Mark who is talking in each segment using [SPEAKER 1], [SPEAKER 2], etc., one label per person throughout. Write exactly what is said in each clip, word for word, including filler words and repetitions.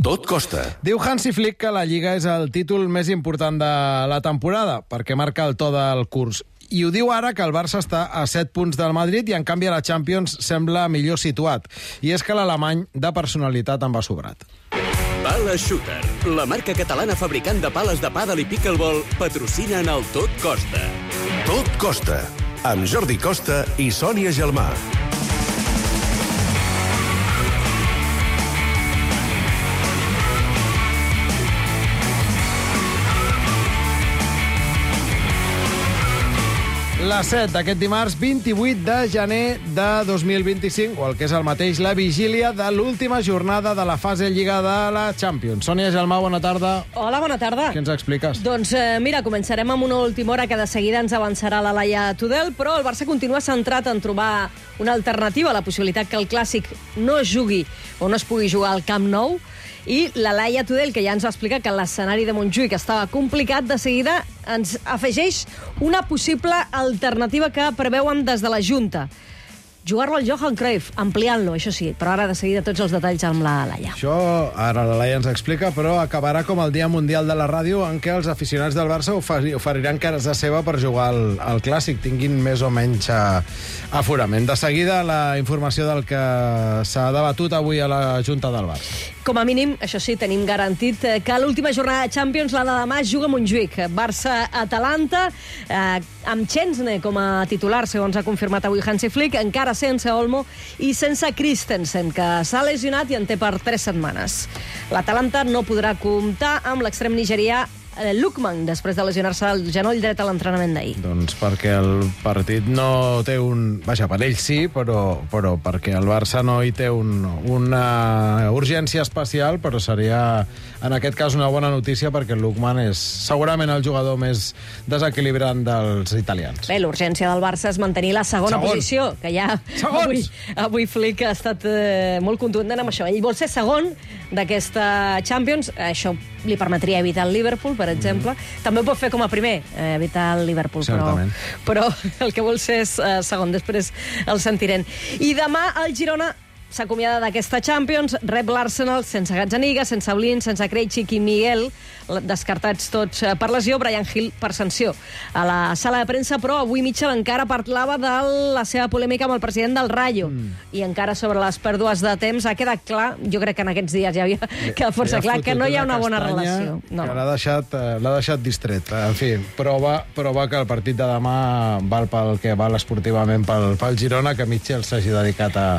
[SPEAKER 1] Tot costa.
[SPEAKER 2] Diu Hansi Flick que la Lliga és el títol més important de la temporada, perquè marca el to del curs. I ho diu ara que el Barça està a set punts del Madrid i, en canvi, a la Champions sembla millor situat. I és que l'alemany de personalitat en va sobrat.
[SPEAKER 3] Pala Shooter, la marca catalana fabricant de pales de pàdel i pickleball, patrocina en el Tot Costa.
[SPEAKER 1] Tot costa. Amb Jordi Costa i Sònia Gelmà.
[SPEAKER 2] La set d'aquest dimarts, vint-i-vuit de gener de dos mil vint-i-cinc, o el que és el mateix, la vigília de l'última jornada de la fase Lliga de la Champions. Sònia Gelmà, bona tarda.
[SPEAKER 4] Hola, bona tarda.
[SPEAKER 2] Què ens expliques?
[SPEAKER 4] Doncs eh, mira, començarem amb una última hora que de seguida ens avançarà la Laia Tudel, però el Barça continua centrat en trobar una alternativa a la possibilitat que el Clàssic no es jugui o no es pugui jugar al Camp Nou. I la Laia Tudel, que ja ens va explicar que l'escenari de Montjuïc estava complicat, de seguida ens afegeix una possible alternativa que preveuen des de la Junta. Jugar-lo al Johan Cruyff, ampliant-lo, això sí, però ara de seguida tots els detalls amb la Laia.
[SPEAKER 2] Això ara la Laia ens explica, però acabarà com el Dia Mundial de la Ràdio, en què els aficionats del Barça oferiran cares de seva per jugar al, al Clàssic, tinguin més o menys a, aforament. De seguida, la informació del que s'ha debatut avui a la Junta del Barça.
[SPEAKER 4] Com a mínim, això sí, tenim garantit que l'última jornada de Champions, la de demà, es juga a Montjuïc. Barça-Atalanta, eh, amb Chesney com a titular, segons ha confirmat avui Hansi Flick, encara sense Olmo i sense Christensen, que s'ha lesionat i en té per tres setmanes. L'Atalanta no podrà comptar amb l'extrem nigerià Lookman, després de lesionar-se el genoll dret a l'entrenament d'ahir.
[SPEAKER 2] Doncs perquè el partit no té un... Vaja, per ell sí, però, però perquè el Barça no hi té un, una urgència especial, però seria, en aquest cas, una bona notícia, perquè el Lookman és segurament el jugador més desequilibrant dels italians.
[SPEAKER 4] Bé, l'urgència del Barça és mantenir la segona
[SPEAKER 2] Segons.
[SPEAKER 4] posició, que ja avui, avui Flick ha estat eh, molt contundent amb això. Ell vol ser segon d'aquesta Champions, això li permetria evitar el Liverpool, per exemple. Mm-hmm. També ho pot fer com a primer, eh, evitar el Liverpool, però, però el que vol ser és eh, segon, després el sentirem. I demà el Girona s'acomiada d'aquesta Champions, rep l'Arsenal sense Gazzaniga, sense Blin, sense Krejcik i Miguel, descartats tots per lesió, Brian Hill per sanció. A la sala de premsa, però, avui Mitchell encara parlava de la seva polèmica amb el president del Rayo, mm. i encara sobre les pèrdues de temps ha quedat clar, jo crec que en aquests dies ja havia quedat força ja clar, que no hi ha una bona relació. No.
[SPEAKER 2] L'ha deixat, l'ha deixat distret. En fi, prova, prova que el partit de demà val pel que val esportivament pel, pel Girona, que Mitchell s'hagi dedicat a,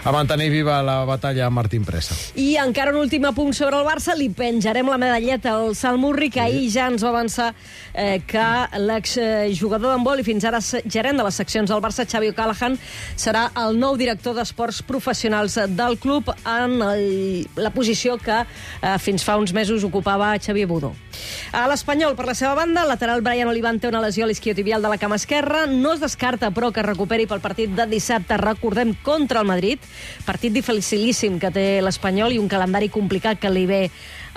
[SPEAKER 2] a mantenir viva la batalla amb Martín Presa.
[SPEAKER 4] I encara un últim apunt sobre el Barça, li penjarem la medalleta al Salmurri, que ahir ja ens va avançar eh, que l'exjugador d'handbol i fins ara gerent de les seccions del Barça, Xavi O'Callaghan, serà el nou director d'esports professionals del club en el, la posició que eh, fins fa uns mesos ocupava Xavier Budó. A l'Espanyol, per la seva banda, el lateral Brian Oliván té una lesió a l'isquiotibial de la cama esquerra. No es descarta, però, que es recuperi pel partit de dissabte, recordem, contra el Madrid. Partit dificilíssim que té l'Espanyol i un calendari complicat que li ve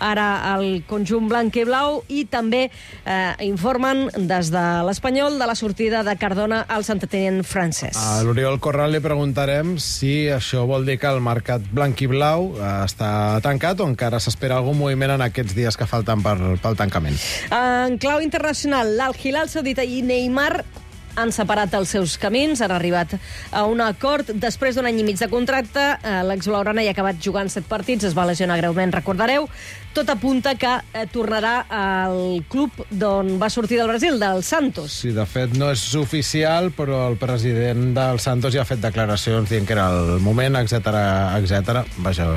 [SPEAKER 4] ara al conjunt blanc i blau, i també eh, informen des de l'Espanyol de la sortida de Cardona al Saint-Étienne francès.
[SPEAKER 2] A l'Oriol Corral li preguntarem si això vol dir que el mercat blanc i blau eh, està tancat o encara s'espera algun moviment en aquests dies que falten per, pel tancament.
[SPEAKER 4] En clau internacional, l'Al-Hilal Saudita i Neymar han separat els seus camins, han arribat a un acord. Després d'un any i mig de contracte, l'ex-blaugrana hi ha acabat jugant set partits, es va lesionar greument, recordareu. Tot apunta que eh, tornarà al club d'on va sortir del Brasil, del Santos.
[SPEAKER 2] Sí, de fet no és oficial, però el president del Santos ja ha fet declaracions dient que era el moment, etcètera, etcètera. Vaja,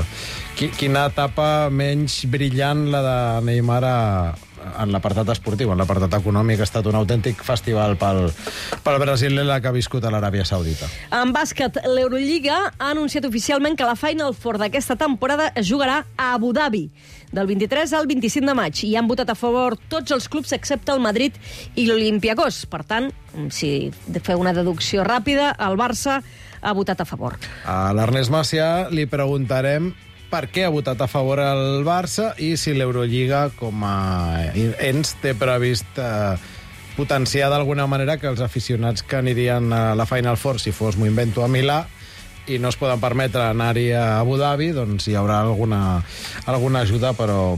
[SPEAKER 2] quina etapa menys brillant la de Neymar a en l'apartat esportiu, en l'apartat econòmic. Ha estat un autèntic festival pel, pel Brasil la que ha viscut a l'Aràbia Saudita.
[SPEAKER 4] En bàsquet, l'Eurolliga ha anunciat oficialment que la Final Four d'aquesta temporada es jugarà a Abu Dhabi, del vint-i-tres al vint-i-cinc de maig, i han votat a favor tots els clubs excepte el Madrid i l'Olympiacos. Per tant, si feu una deducció ràpida, el Barça ha votat a favor.
[SPEAKER 2] A l'Ernest Macià li preguntarem per què ha votat a favor el Barça i si l'Eurolliga, com a ens, té previst eh, potenciar d'alguna manera que els aficionats que anirien a la Final Four, si fos, m'ho invento, a Milà, i no es poden permetre anar-hi a Abu Dhabi, doncs hi haurà alguna, alguna ajuda, però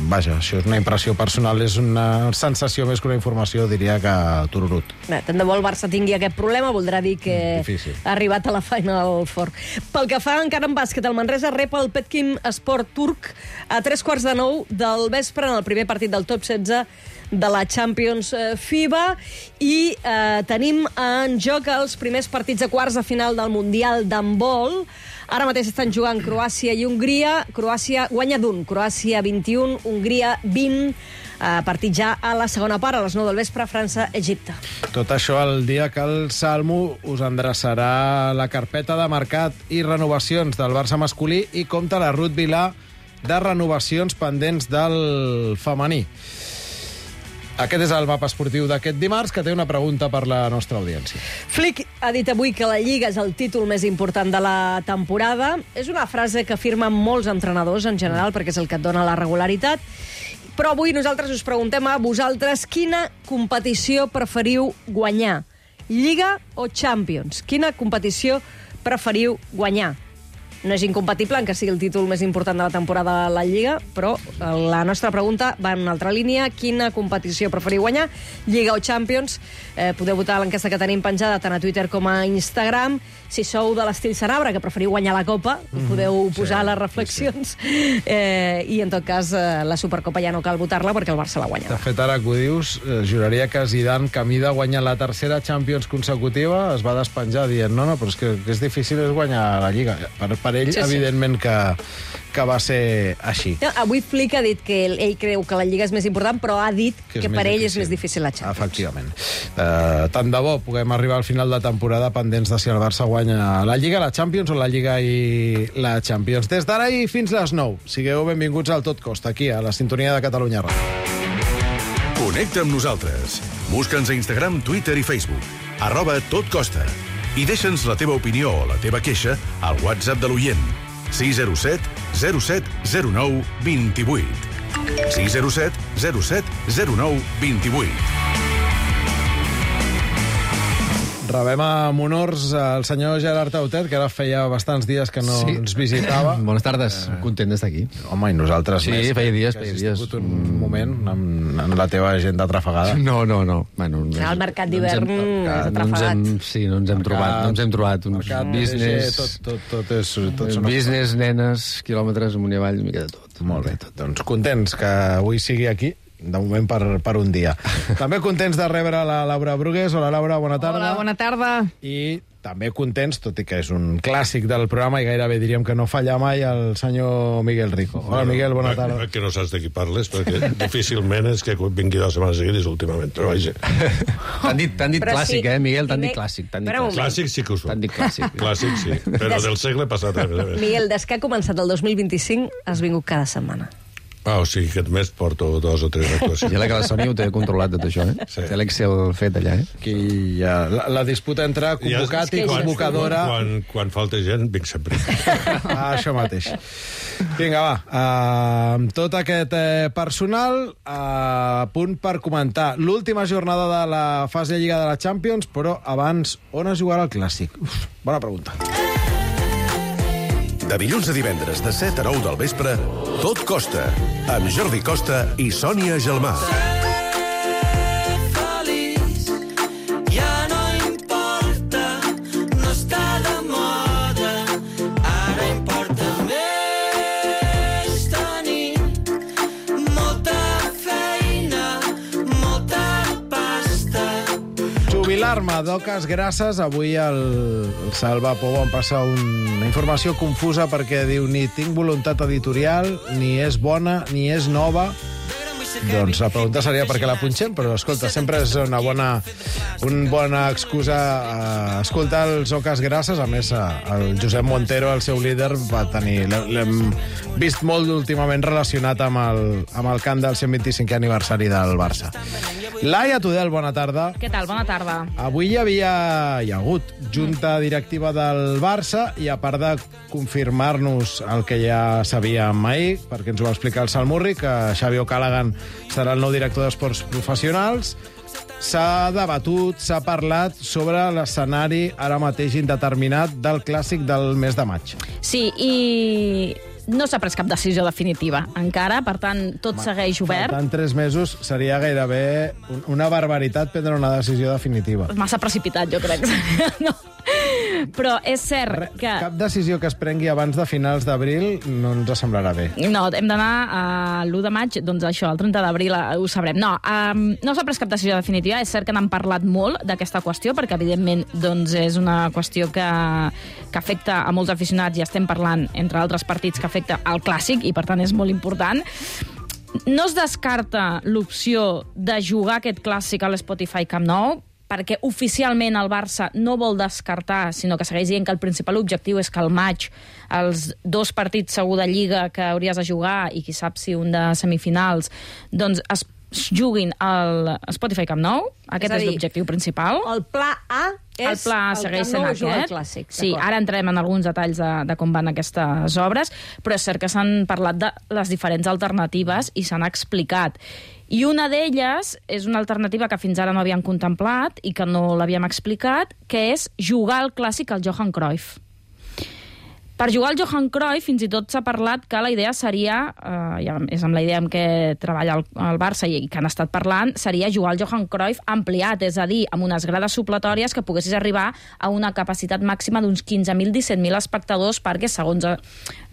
[SPEAKER 2] vaja, això és una impressió personal, és una sensació més que una informació, diria que tururut.
[SPEAKER 4] Bé, tant de bo el Barça tingui aquest problema, voldrà dir que
[SPEAKER 2] Difícil.
[SPEAKER 4] ha arribat a la Final Four. Pel que fa encara en bàsquet, el Manresa rep el Petkim Sport turc a tres quarts de nou del vespre en el primer partit del top setze de la Champions FIBA i eh, tenim en joc els primers partits de quarts de final del Mundial d'handbol. Ara mateix estan jugant Croàcia i Hongria. Croàcia guanya d'un, Croàcia vint-i-un, Hongria vint. Uh, partit ja a la segona part, a les nou del vespre, França-Egipte.
[SPEAKER 2] Tot això el dia que el Salmo us endreçarà la carpeta de mercat i renovacions del Barça masculí i compta la Ruth Vilà de renovacions pendents del femení. Aquest és el mapa esportiu d'aquest dimarts, que té una pregunta per la nostra audiència.
[SPEAKER 4] Flick ha dit avui que la Lliga és el títol més important de la temporada. És una frase que afirmen molts entrenadors en general, perquè és el que et dona la regularitat. Però avui nosaltres us preguntem a vosaltres quina competició preferiu guanyar, Lliga o Champions? Quina competició preferiu guanyar? No és incompatible en que sigui el títol més important de la temporada de la Lliga, però la nostra pregunta va en una altra línia. Quina competició preferiu guanyar, Lliga o Champions? Eh, podeu votar a l'enquesta que tenim penjada tant a Twitter com a Instagram. Si sou de l'estil Sanabra, que preferiu guanyar la Copa, mm, podeu posar sí, les reflexions. Sí, sí. Eh, I, en tot cas, eh, la Supercopa ja no cal votar-la perquè el Barça la guanya.
[SPEAKER 2] De fet, ara que ho dius, eh, juraria que Zidane, camí de guanyar la tercera Champions consecutiva, es va despenjar dient no, no, però és que, que és difícil és guanyar la Lliga. Per, per ell, sí, sí. Evidentment que, que va ser així.
[SPEAKER 4] No, avui Flick ha dit que ell, ell creu que la Lliga és més important, però ha dit que, que per ell difícil. és més difícil la Champions.
[SPEAKER 2] Efectivament. Uh, tant de bo puguem arribar al final de temporada pendents de si el Barça guanya la Lliga, la Champions o la Lliga i la Champions. Des d'ara i fins les nou. Sigueu benvinguts al Tot Costa, aquí, a la sintonia de Catalunya Ràdio.
[SPEAKER 1] Connecta amb nosaltres. Busca'ns a Instagram, Twitter i Facebook. Arroba Tot Costa. I deixa'ns la teva opinió o la teva queixa al WhatsApp de l'oient. sis zero set zero set zero nou dos vuit. sis zero set zero set zero nou dos vuit.
[SPEAKER 2] Rebem amb honors el senyor Gerard Tautet, que ara feia bastants dies que no sí. ens visitava.
[SPEAKER 5] Bones tardes, eh... content d'estar aquí.
[SPEAKER 2] Home, i nosaltres
[SPEAKER 5] sí,
[SPEAKER 2] més.
[SPEAKER 5] Sí, feia dies,
[SPEAKER 2] que
[SPEAKER 5] feia
[SPEAKER 2] has
[SPEAKER 5] dies.
[SPEAKER 2] tingut un moment amb, amb la teva agenda atrafegada.
[SPEAKER 5] No, no, no. Bueno,
[SPEAKER 4] el mercat d'hivern
[SPEAKER 5] no
[SPEAKER 4] és atrafegat.
[SPEAKER 5] No hem, sí, no ens hem mercat, trobat, no ens hem trobat. Uns
[SPEAKER 2] mercat,
[SPEAKER 5] business,
[SPEAKER 2] tot, tot, tot és, tot són
[SPEAKER 5] business, nenes, quilòmetres, amunt i avall, una mica de tot.
[SPEAKER 2] Molt bé, tot. Doncs contents que avui sigui aquí, de moment per, per un dia. També contents de rebre la Laura Brugués. Hola, Laura, bona tarda.
[SPEAKER 6] Hola, bona tarda.
[SPEAKER 2] I també contents, tot i que és un clàssic del programa i gairebé diríem que no falla mai, el senyor Miguel Rico. Hola, Miguel, bona tarda.
[SPEAKER 7] Que no saps de qui parles, perquè difícilment és que vingui dues setmanes seguides últimament, però vaja.
[SPEAKER 5] T'han dit, t'han dit
[SPEAKER 4] Però
[SPEAKER 5] clàssic,
[SPEAKER 4] sí,
[SPEAKER 5] eh, Miguel? T'han
[SPEAKER 4] primer-
[SPEAKER 5] dit clàssic. T'han dit
[SPEAKER 4] Espera un
[SPEAKER 5] clàssic.
[SPEAKER 7] Clàssic sí que ho
[SPEAKER 5] T'han
[SPEAKER 7] són.
[SPEAKER 5] dit clàssic.
[SPEAKER 7] Clàssic sí, però del segle passat. A més a més.
[SPEAKER 4] Miguel, des que ha començat el dos mil vint-i-cinc has vingut cada setmana.
[SPEAKER 7] Ah, o sigui, aquest mes porto dos o tres actuacions.
[SPEAKER 5] I la que la Sònia ho té controlat, tot això, eh?
[SPEAKER 7] Sí.
[SPEAKER 5] Té l'Excel fet allà, eh?
[SPEAKER 2] Aquí hi ha la, la disputa entre convocat i
[SPEAKER 4] quan-
[SPEAKER 2] convocadora.
[SPEAKER 7] Quan, quan falta gent, vinc sempre.
[SPEAKER 2] Ah, això mateix. Vinga, va. Uh, amb tot aquest eh, personal a uh, punt per comentar l'última jornada de la fase de Lliga de la Champions, però abans, on es jugarà el Clàssic? Uf, bona pregunta.
[SPEAKER 1] De dilluns a divendres, de set a nou del vespre, Tot Costa, amb Jordi Costa i Sònia Gelmà.
[SPEAKER 8] Ja no importa, no està de moda, ara importa més tenir molta feina, molta pasta.
[SPEAKER 2] Jubilar-me d'oques grasses. Avui el, el Salva Pou em passa una informació confusa perquè diu ni tinc voluntat editorial, ni és bona, ni és nova. Doncs la pregunta seria per què la punxem, però escolta, sempre és una bona, una bona excusa a escoltar els oques grasses. A més, el Josep Montero, el seu líder, va tenir... L'hem vist molt últimament relacionat amb el, amb el cant del cent vint-i-cinquè aniversari del Barça. Laia Tudel, bona tarda.
[SPEAKER 6] Què tal? Bona tarda.
[SPEAKER 2] Avui hi havia, hi ha hagut junta directiva del Barça i a part de confirmar-nos el que ja sabíem ahir, perquè ens ho va explicar el Salmurri, que Xavi O'Callaghan serà el nou director d'Esports Professionals, s'ha debatut, s'ha parlat sobre l'escenari ara mateix indeterminat del clàssic del mes de maig.
[SPEAKER 6] Sí, i no s'ha pres cap decisió definitiva encara, per tant, tot Ma, segueix obert.
[SPEAKER 2] Faltant tres mesos seria gairebé una barbaritat prendre una decisió definitiva.
[SPEAKER 6] Massa precipitat, jo crec. No. Però és cert Re, que...
[SPEAKER 2] Cap decisió que es prengui abans de finals d'abril no ens semblarà bé.
[SPEAKER 6] No, hem d'anar a l'u de maig, doncs això, el trenta d'abril ho sabrem. No, um, no s'ha pres cap decisió definitiva. És cert que n'han parlat molt d'aquesta qüestió, perquè evidentment doncs, és una qüestió que, que afecta a molts aficionats, i estem parlant, entre altres partits, que afecta al clàssic, i per tant és molt important. No es descarta l'opció de jugar aquest clàssic a l'Spotify Camp Nou, perquè oficialment el Barça no vol descartar, sinó que segueix dient que el principal objectiu és que al maig els dos partits segur de Lliga que hauries de jugar, i qui sap si un de semifinals, doncs es juguin al Spotify Camp Nou. Aquest és, és l'objectiu principal.
[SPEAKER 4] El pla A és
[SPEAKER 6] el pla A segueix
[SPEAKER 4] el
[SPEAKER 6] sent aquest.
[SPEAKER 4] Clàssic,
[SPEAKER 6] sí, ara entrem en alguns detalls de, de com van aquestes obres, però és cert que s'han parlat de les diferents alternatives i s'han explicat. I una d'elles és una alternativa que fins ara no havíem contemplat i que no l'havíem explicat, que és jugar al clàssic al Johan Cruyff. Per jugar al Johan Cruyff, fins i tot s'ha parlat que la idea seria, eh, és amb la idea amb què treballa el, el Barça i que han estat parlant, seria jugar al Johan Cruyff ampliat, és a dir, amb unes grades supletòries que poguessis arribar a una capacitat màxima d'uns quinze mil, disset mil espectadors, perquè, segons eh,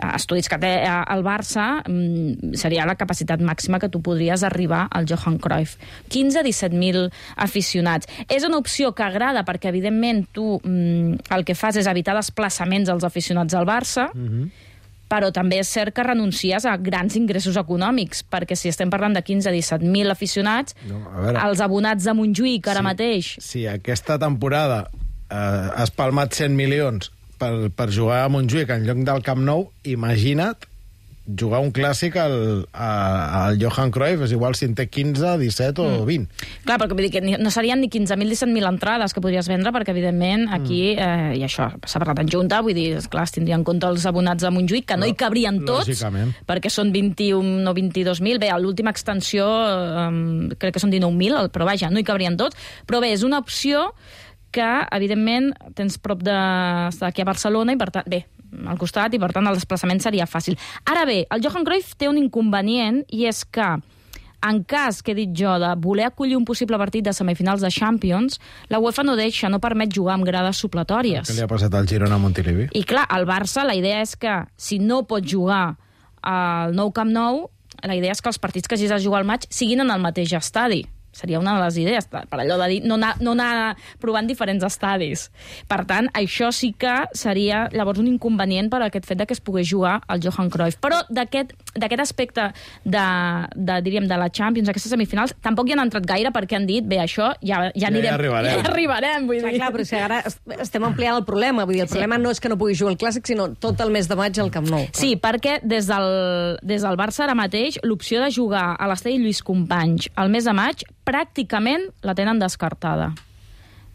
[SPEAKER 6] estudis que té el Barça, mm, seria la capacitat màxima que tu podries arribar al Johan Cruyff. quinze a disset mil aficionats. És una opció que agrada perquè, evidentment, tu mm, el que fas és evitar desplaçaments als aficionats al Barça, Barça, uh-huh. però també és cert que renuncies a grans ingressos econòmics, perquè si estem parlant de quinze a disset mil aficionats, no, veure, els abonats de Montjuïc ara
[SPEAKER 2] sí,
[SPEAKER 6] mateix...
[SPEAKER 2] Si aquesta temporada eh, has palmat cent milions per, per jugar a Montjuïc en lloc del Camp Nou, imagina't jugar un clàssic al, al Johan Cruyff, és igual si en té quinze, disset o vint.
[SPEAKER 6] Clar, perquè vull dir que no serien ni quinze mil, disset mil entrades que podries vendre, perquè evidentment aquí, eh, i això s'ha parlat en junta, vull dir, esclar, es tindria en compte els abonats de Montjuïc, que no hi cabrien tots, lògicament, perquè són vint-i-un o vint-i-dos mil, bé, a l'última extensió eh, crec que són dinou mil, però vaja, no hi cabrien tots, però bé, és una opció que, evidentment, tens prop d'aquí a Barcelona i, per tant, bé, al costat, i per tant el desplaçament seria fàcil. Ara bé, el Johan Cruyff té un inconvenient, i és que en cas, que he dit jo, de voler acollir un possible partit de semifinals de Champions, la UEFA no deixa, no permet jugar amb grades supletòries.
[SPEAKER 2] Què li ha passat al Girona a Montilivi?
[SPEAKER 6] I clar, al Barça la idea és que si no pot jugar al nou Camp Nou, la idea és que els partits que hagis de jugar al maig siguin en el mateix estadi. Seria una de les idees, per allò de dir, no anar, no anar provant diferents estadis. Per tant, això sí que seria llavors un inconvenient per aquest fet de que es pogués jugar al Johan Cruyff. Però d'aquest aspecte de, de, diríem, de la Champions, aquestes semifinals, tampoc hi han entrat gaire perquè han dit, bé, això ja, ja anirem...
[SPEAKER 2] Ja arribarem.
[SPEAKER 6] Ja arribarem, vull dir.
[SPEAKER 4] Clar, clar, però si ara estem ampliant el problema. Vull dir, el sí. problema no és que no pugui jugar al Clàssic, sinó tot el mes de maig al Camp Nou. Clar.
[SPEAKER 6] Sí, perquè des del, des del Barça ara mateix, l'opció de jugar a l'estadi Lluís Companys al mes de maig pràcticament la tenen descartada.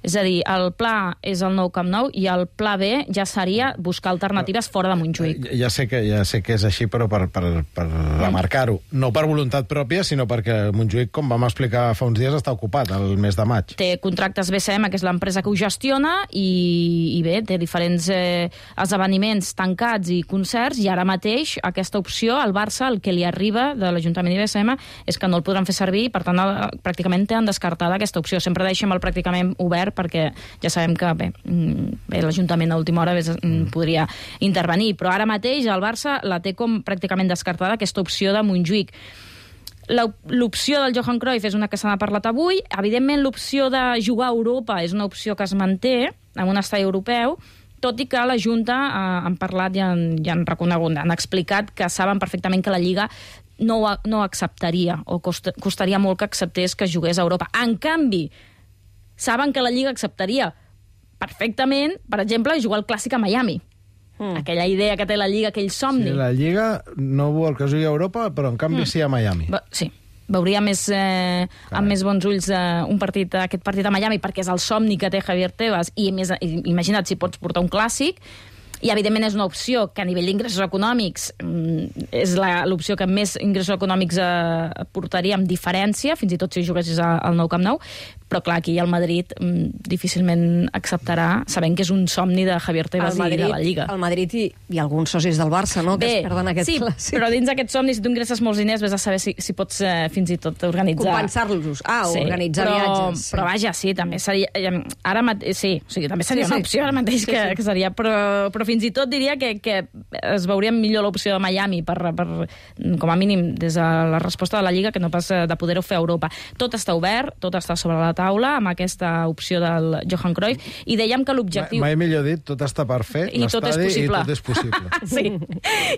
[SPEAKER 6] És a dir, el pla és el nou Camp Nou i el pla B ja seria buscar alternatives fora de Montjuïc.
[SPEAKER 2] Ja sé que, ja sé que és així, però per, per, per remarcar-ho. No per voluntat pròpia, sinó perquè Montjuïc, com vam explicar fa uns dies, està ocupat el mes de maig.
[SPEAKER 6] Té contractes B C M, que és l'empresa que ho gestiona, i, i bé, té diferents eh, esdeveniments tancats i concerts, i ara mateix aquesta opció, al Barça, el que li arriba de l'Ajuntament i B C M és que no el podran fer servir, per tant, el, pràcticament tenen descartada aquesta opció. Sempre deixem el pràcticament obert, perquè ja sabem que bé, bé l'Ajuntament a última hora bé, podria intervenir, però ara mateix el Barça la té com pràcticament descartada aquesta opció de Montjuïc. L'opció del Johan Cruyff és una que se n'ha parlat avui. Evidentment, l'opció de jugar a Europa és una opció que es manté en un estadi europeu, tot i que la Junta eh, han parlat i han, i han reconegut, han explicat que saben perfectament que la Lliga no, no acceptaria, o cost, costaria molt que acceptés que jugués a Europa. En canvi, saben que la Lliga acceptaria perfectament, per exemple, jugar al Clàssic a Miami. Mm. Aquella idea que té la Lliga, aquell somni.
[SPEAKER 2] Sí, la Lliga no vol que jugui a Europa, però en canvi mm. sí a Miami.
[SPEAKER 6] Ba- sí. Veuria més, eh, amb més bons ulls eh, un partit, aquest partit a Miami, perquè és el somni que té Javier Tebas, i més, imagina't si pots portar un clàssic. I, evidentment, és una opció que a nivell d'ingressos econòmics mm, és la- l'opció que més ingressos econòmics eh, portaria amb diferència, fins i tot si juguessis a- al nou Camp Nou, però, clar, aquí el Madrid mm, difícilment acceptarà, sabent que és un somni de Javier Tebas i de la Lliga.
[SPEAKER 4] El Madrid i, i alguns socis del Barça, no?, que es perden aquest
[SPEAKER 6] sí,
[SPEAKER 4] clàssic.
[SPEAKER 6] però dins d'aquest somni, si tu ingresses molts diners, vés a saber si, si pots eh, fins i tot organitzar...
[SPEAKER 4] Compensar-los. Ah, organitzar
[SPEAKER 6] però,
[SPEAKER 4] viatges. Sí.
[SPEAKER 6] Però vaja, sí, també seria... eh, Ara mate... Sí, o sigui, també seria
[SPEAKER 4] Sí,
[SPEAKER 6] una
[SPEAKER 4] sí.
[SPEAKER 6] opció ara mateix
[SPEAKER 4] Sí,
[SPEAKER 6] que,
[SPEAKER 4] sí.
[SPEAKER 6] que seria... Però, però fins i tot diria que, que es veuria millor l'opció de Miami per, per, com a mínim, des de la resposta de la Lliga, que no pas eh, de poder-ho fer a Europa. Tot està obert, tot està sobre la taula, amb aquesta opció del Johan Cruyff, i dèiem que l'objectiu...
[SPEAKER 2] Mai millor dit, tot està per fer,
[SPEAKER 6] I tot és
[SPEAKER 2] l'estadi, i
[SPEAKER 6] possible.
[SPEAKER 2] tot és possible.
[SPEAKER 6] Sí.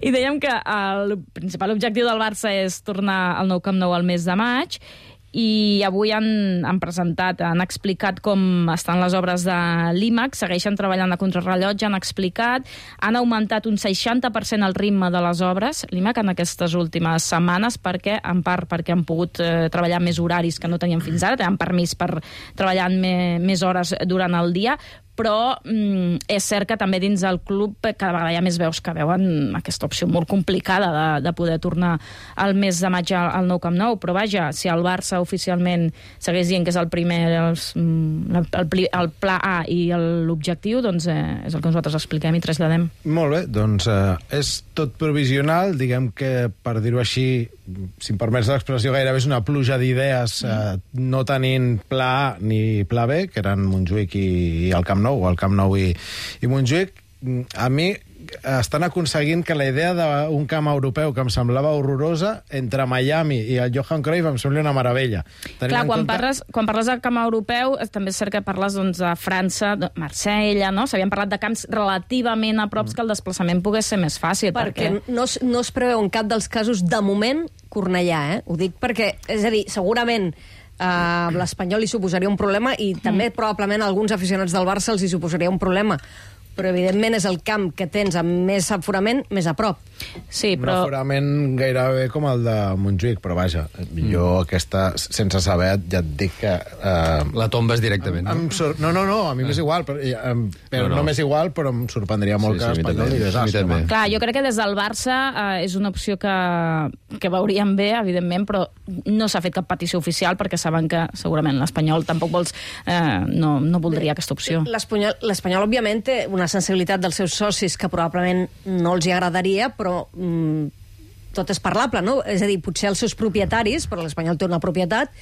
[SPEAKER 6] I dèiem que el principal objectiu del Barça és tornar al nou Camp Nou al mes de maig, i avui han, han presentat, han explicat com estan les obres de l'IMAX, segueixen treballant a contrarrellotge, han explicat, han augmentat un seixanta per cent el ritme de les obres, l'IMAX, en aquestes últimes setmanes, perquè, en part perquè han pogut eh, treballar més horaris que no tenien fins ara, tenen permís per treballar me, més hores durant el dia, però mm, és cert que també dins del club cada vegada hi ha més veus que veuen aquesta opció molt complicada de, de poder tornar al mes de maig al, al nou Camp Nou, però vaja, si el Barça oficialment segueix dient que és el primer els, mm, el, el, el pla A i el- l'objectiu, doncs eh, és el que nosaltres expliquem i traslladem.
[SPEAKER 2] Molt bé, doncs eh, és tot provisional, diguem que, per dir-ho així, si em permets l'expressió, gairebé és una pluja d'idees, eh, no tenint pla A ni pla B, que eren Montjuïc i, i el Camp Nou, o el Camp Nou i, i Montjuïc. A mi estan aconseguint que la idea d'un camp europeu que em semblava horrorosa, entre Miami i el Johan Cruyff, em sembla una meravella. Tenint
[SPEAKER 6] Clar,
[SPEAKER 2] en
[SPEAKER 6] quan,
[SPEAKER 2] compte-
[SPEAKER 6] parles, quan parles del camp europeu, eh, també és cert que parles doncs, de França, de Marsella, no? S'havien parlat de camps relativament a props que el desplaçament pogués ser més fàcil.
[SPEAKER 4] Perquè no, es- no es preveu en cap dels casos, de moment, Cornellà, eh? Ho dic perquè, és a dir, segurament uh, l'Espanyol li suposaria un problema i també probablement a alguns aficionats del Barça els hi suposaria un problema. Però, evidentment, és el camp que tens amb més aforament, més a prop.
[SPEAKER 6] Sí,
[SPEAKER 2] Un
[SPEAKER 6] però...
[SPEAKER 2] aforament gairebé com el de Montjuïc, però vaja, jo aquesta, sense saber, ja et dic que... Eh,
[SPEAKER 5] La tombes directament.
[SPEAKER 2] em sor... No, no, no, a mi m'és igual, però, em, però
[SPEAKER 5] No,
[SPEAKER 2] no,
[SPEAKER 5] no.
[SPEAKER 2] no m'és igual, però em sorprendria molt
[SPEAKER 5] Sí,
[SPEAKER 2] que
[SPEAKER 5] sí, a mi
[SPEAKER 2] l'Espanyol
[SPEAKER 5] també.
[SPEAKER 2] digués,
[SPEAKER 5] A mi
[SPEAKER 2] "Ah,
[SPEAKER 5] també."
[SPEAKER 2] home,
[SPEAKER 6] Clar, jo crec que des del Barça eh, és una opció que, que veuríem bé, evidentment, però no s'ha fet cap petició oficial perquè saben que segurament l'Espanyol tampoc vols, eh, no, no voldria aquesta opció.
[SPEAKER 4] L'Espanyol, l'Espanyol, òbviament, té una sensibilitat dels seus socis que probablement no els hi agradaria, però mm, tot és parlable, no? És a dir, potser els seus propietaris, però l'Espanyol té una propietat,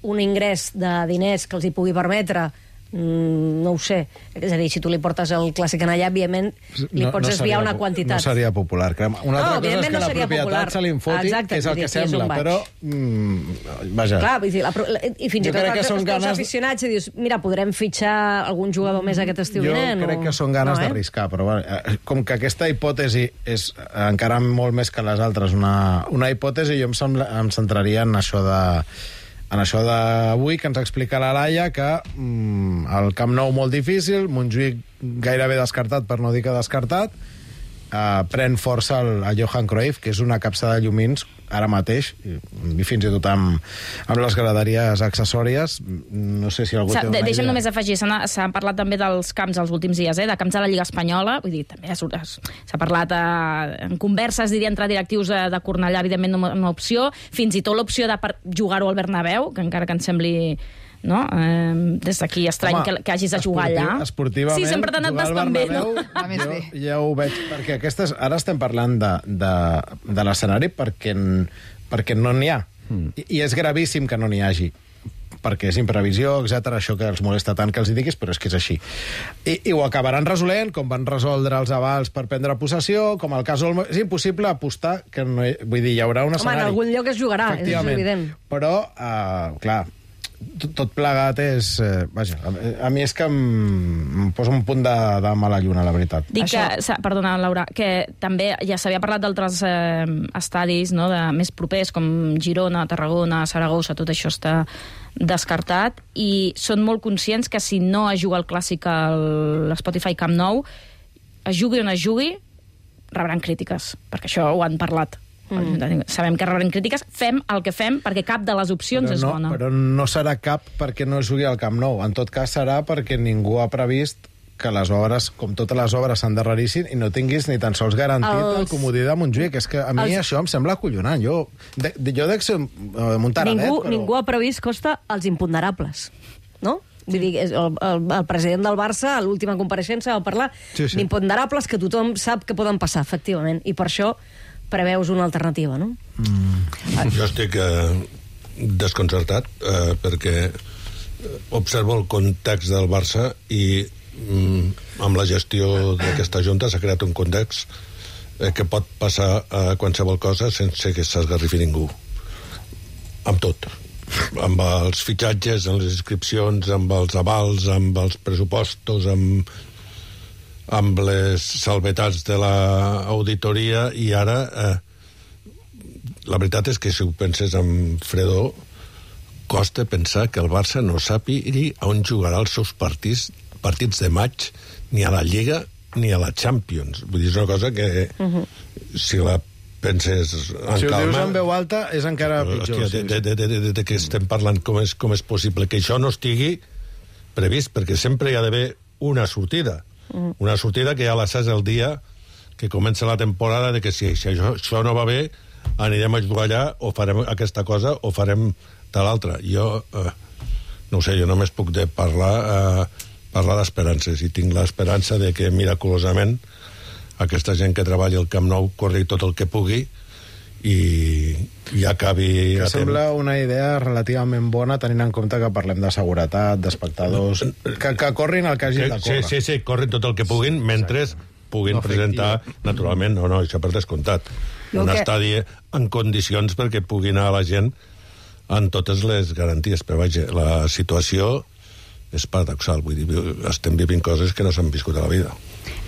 [SPEAKER 4] un ingrés de diners que els hi pugui permetre, mm, no ho sé, és a dir, si tu li portes el clàssic en allà, òbviament li pots
[SPEAKER 2] seria
[SPEAKER 4] desviar una
[SPEAKER 2] po-
[SPEAKER 4] quantitat.
[SPEAKER 2] No seria popular. Crem. Una altra
[SPEAKER 4] No,
[SPEAKER 2] cosa és
[SPEAKER 4] evidentment
[SPEAKER 2] que
[SPEAKER 4] no
[SPEAKER 2] la
[SPEAKER 4] seria
[SPEAKER 2] propietat
[SPEAKER 4] popular.
[SPEAKER 2] se l'infoti,
[SPEAKER 4] Exacte,
[SPEAKER 2] que és el
[SPEAKER 4] vull
[SPEAKER 2] que
[SPEAKER 4] dir, aquí és
[SPEAKER 2] sembla,
[SPEAKER 4] on vaig.
[SPEAKER 2] però... Mm, vaja.
[SPEAKER 4] Clar, vull dir, la, pro- la, i fins
[SPEAKER 2] Jo
[SPEAKER 4] i tot
[SPEAKER 2] crec que
[SPEAKER 4] els,
[SPEAKER 2] són
[SPEAKER 4] els teus
[SPEAKER 2] ganes-
[SPEAKER 4] aficionats i dius, mira, podrem fitxar algun jugador més aquest estiu
[SPEAKER 2] Jo
[SPEAKER 4] vinent?
[SPEAKER 2] crec
[SPEAKER 4] o...
[SPEAKER 2] que són ganes
[SPEAKER 4] no, eh?
[SPEAKER 2] d'arriscar, però bueno, eh, com que aquesta hipòtesi és eh, encara molt més que les altres una, una hipòtesi, jo em, sembla, em centraria en això de en això d'avui, que ens explica la Laia, que mm, el Camp Nou molt difícil, Montjuïc gairebé descartat, per no dir que descartat, eh, pren força el, el Johan Cruyff, que és una capsa de llumins ara mateix, i, i fins i tot amb, amb les graderies accessòries. No sé si algú
[SPEAKER 6] S'ha-
[SPEAKER 2] té una
[SPEAKER 6] de- Deixa'm
[SPEAKER 2] idea.
[SPEAKER 6] només afegir, s'ha s'ha parlat també dels camps els últims dies, eh? de camps de la Lliga Espanyola, vull dir, també es- es- s'ha parlat eh, en converses, diria, entre directius de, de Cornellà, evidentment una, una opció, fins i tot l'opció de per- jugar-ho al Bernabéu, que encara que ens sembli no? Eh, des d'aquí estrany
[SPEAKER 2] Home,
[SPEAKER 6] que, que hagis de jugar
[SPEAKER 2] esportiu-
[SPEAKER 6] allà.
[SPEAKER 2] Esportivament,
[SPEAKER 6] Sí, sempre t'ha anat
[SPEAKER 2] jugar al
[SPEAKER 6] bastant bé, no?
[SPEAKER 2] Bernabéu,
[SPEAKER 9] Va més
[SPEAKER 2] jo,
[SPEAKER 9] bé.
[SPEAKER 2] ja ho veig, perquè aquestes, ara estem parlant de, de, de l'escenari perquè, n- perquè no n'hi ha. Mm. I, I és gravíssim que no n'hi hagi perquè és imprevisió, etcètera, això que els molesta tant que els hi diguis, però és que és així. I, i ho acabaran resolent, com van resoldre els avals per prendre possessió, com el cas Olmo. És impossible apostar que no hi, vull dir, hi haurà un
[SPEAKER 4] Home,
[SPEAKER 2] escenari.
[SPEAKER 4] en algun lloc es jugarà, és
[SPEAKER 2] Efectivament.
[SPEAKER 4] evident.
[SPEAKER 2] Però, uh, clar, tot, tot plegat és... Eh, vaja, a, a mi és que em, em posa un punt de, de mala lluna, la veritat.
[SPEAKER 6] Dic
[SPEAKER 4] Això-
[SPEAKER 6] que, s'ha- perdona, Laura, que també ja s'havia parlat d'altres eh, estadis no, de més propers, com Girona, Tarragona, Saragossa, tot això està descartat, i són molt conscients que si no es juga el clàssic a l'Spotify Camp Nou, es jugui on es jugui, rebran crítiques, perquè això ho han parlat. Mm. Sabem que rebran crítiques, fem el que fem, perquè cap de les opcions
[SPEAKER 2] però
[SPEAKER 6] és
[SPEAKER 2] no,
[SPEAKER 6] bona.
[SPEAKER 2] Però no serà cap perquè no es jugui al Camp Nou. En tot cas serà perquè ningú ha previst que les obres, com totes les obres, s'endarrerissin i no tinguis ni tan sols garantit
[SPEAKER 4] Els-
[SPEAKER 2] el comodí de Montjuïc. És que a mi
[SPEAKER 4] Els-
[SPEAKER 2] això em sembla acollonant. Jo, de, de, jo dec ser uh, Montaradet,
[SPEAKER 4] Ningú,
[SPEAKER 2] però...
[SPEAKER 4] ningú ha previst, Costa, els imponderables, no? Vull dir, és el, el, el president del Barça, a l'última compareixença, va parlar
[SPEAKER 2] Sí, sí.
[SPEAKER 4] d'imponderables que tothom sap que poden passar, efectivament, i per això preveus una alternativa, no?
[SPEAKER 7] Jo estic eh, desconcertat eh, perquè observo el context del Barça i mm, amb la gestió d'aquesta junta s'ha creat un context eh, que pot passar a qualsevol cosa sense que s'esgarrifi ningú. Amb tot. Amb els fitxatges, amb les inscripcions, amb els avals, amb els pressupostos, amb, amb les salvetats de l'auditoria, i ara eh, la veritat és que si ho penses amb fredor costa pensar que el Barça no sàpigui on jugarà els seus partits partits de maig, ni a la Lliga ni a la Champions. Vull dir, és una cosa que uh-huh. si la penses en
[SPEAKER 2] Si ho
[SPEAKER 7] calma...
[SPEAKER 2] dius en veu alta, és encara pitjor.
[SPEAKER 7] Hòstia, de, de, de, de, de què estem parlant? Com és, com és possible que això no estigui previst? Perquè sempre hi ha d'haver una sortida. Mm. Una sortida que ja la saps el dia que comença la temporada, de que si, si això, això no va bé, anirem a jugar allà, o farem aquesta cosa, o farem de l'altra. Jo, eh, no ho sé, jo només puc de parlar, eh, parlar d'esperances, i tinc l'esperança de que, miraculosament, aquesta gent que treballa al Camp Nou corri tot el que pugui i, i acabi
[SPEAKER 2] Que
[SPEAKER 7] a
[SPEAKER 2] sembla una idea relativament bona, tenint en compte que parlem de seguretat, d'espectadors... Que, que corrin el que hagin de
[SPEAKER 7] Sí,
[SPEAKER 2] córrer.
[SPEAKER 7] sí, sí, corren tot el que puguin, mentre puguin
[SPEAKER 2] No
[SPEAKER 7] presentar, naturalment, no, no, això per descomptat,
[SPEAKER 9] Jo
[SPEAKER 7] un
[SPEAKER 9] que-
[SPEAKER 7] estadi en condicions perquè pugui anar la gent en totes les garanties. Però vaja, la situació és paradoxal, vull dir, estem vivint coses que no s'han viscut a la vida.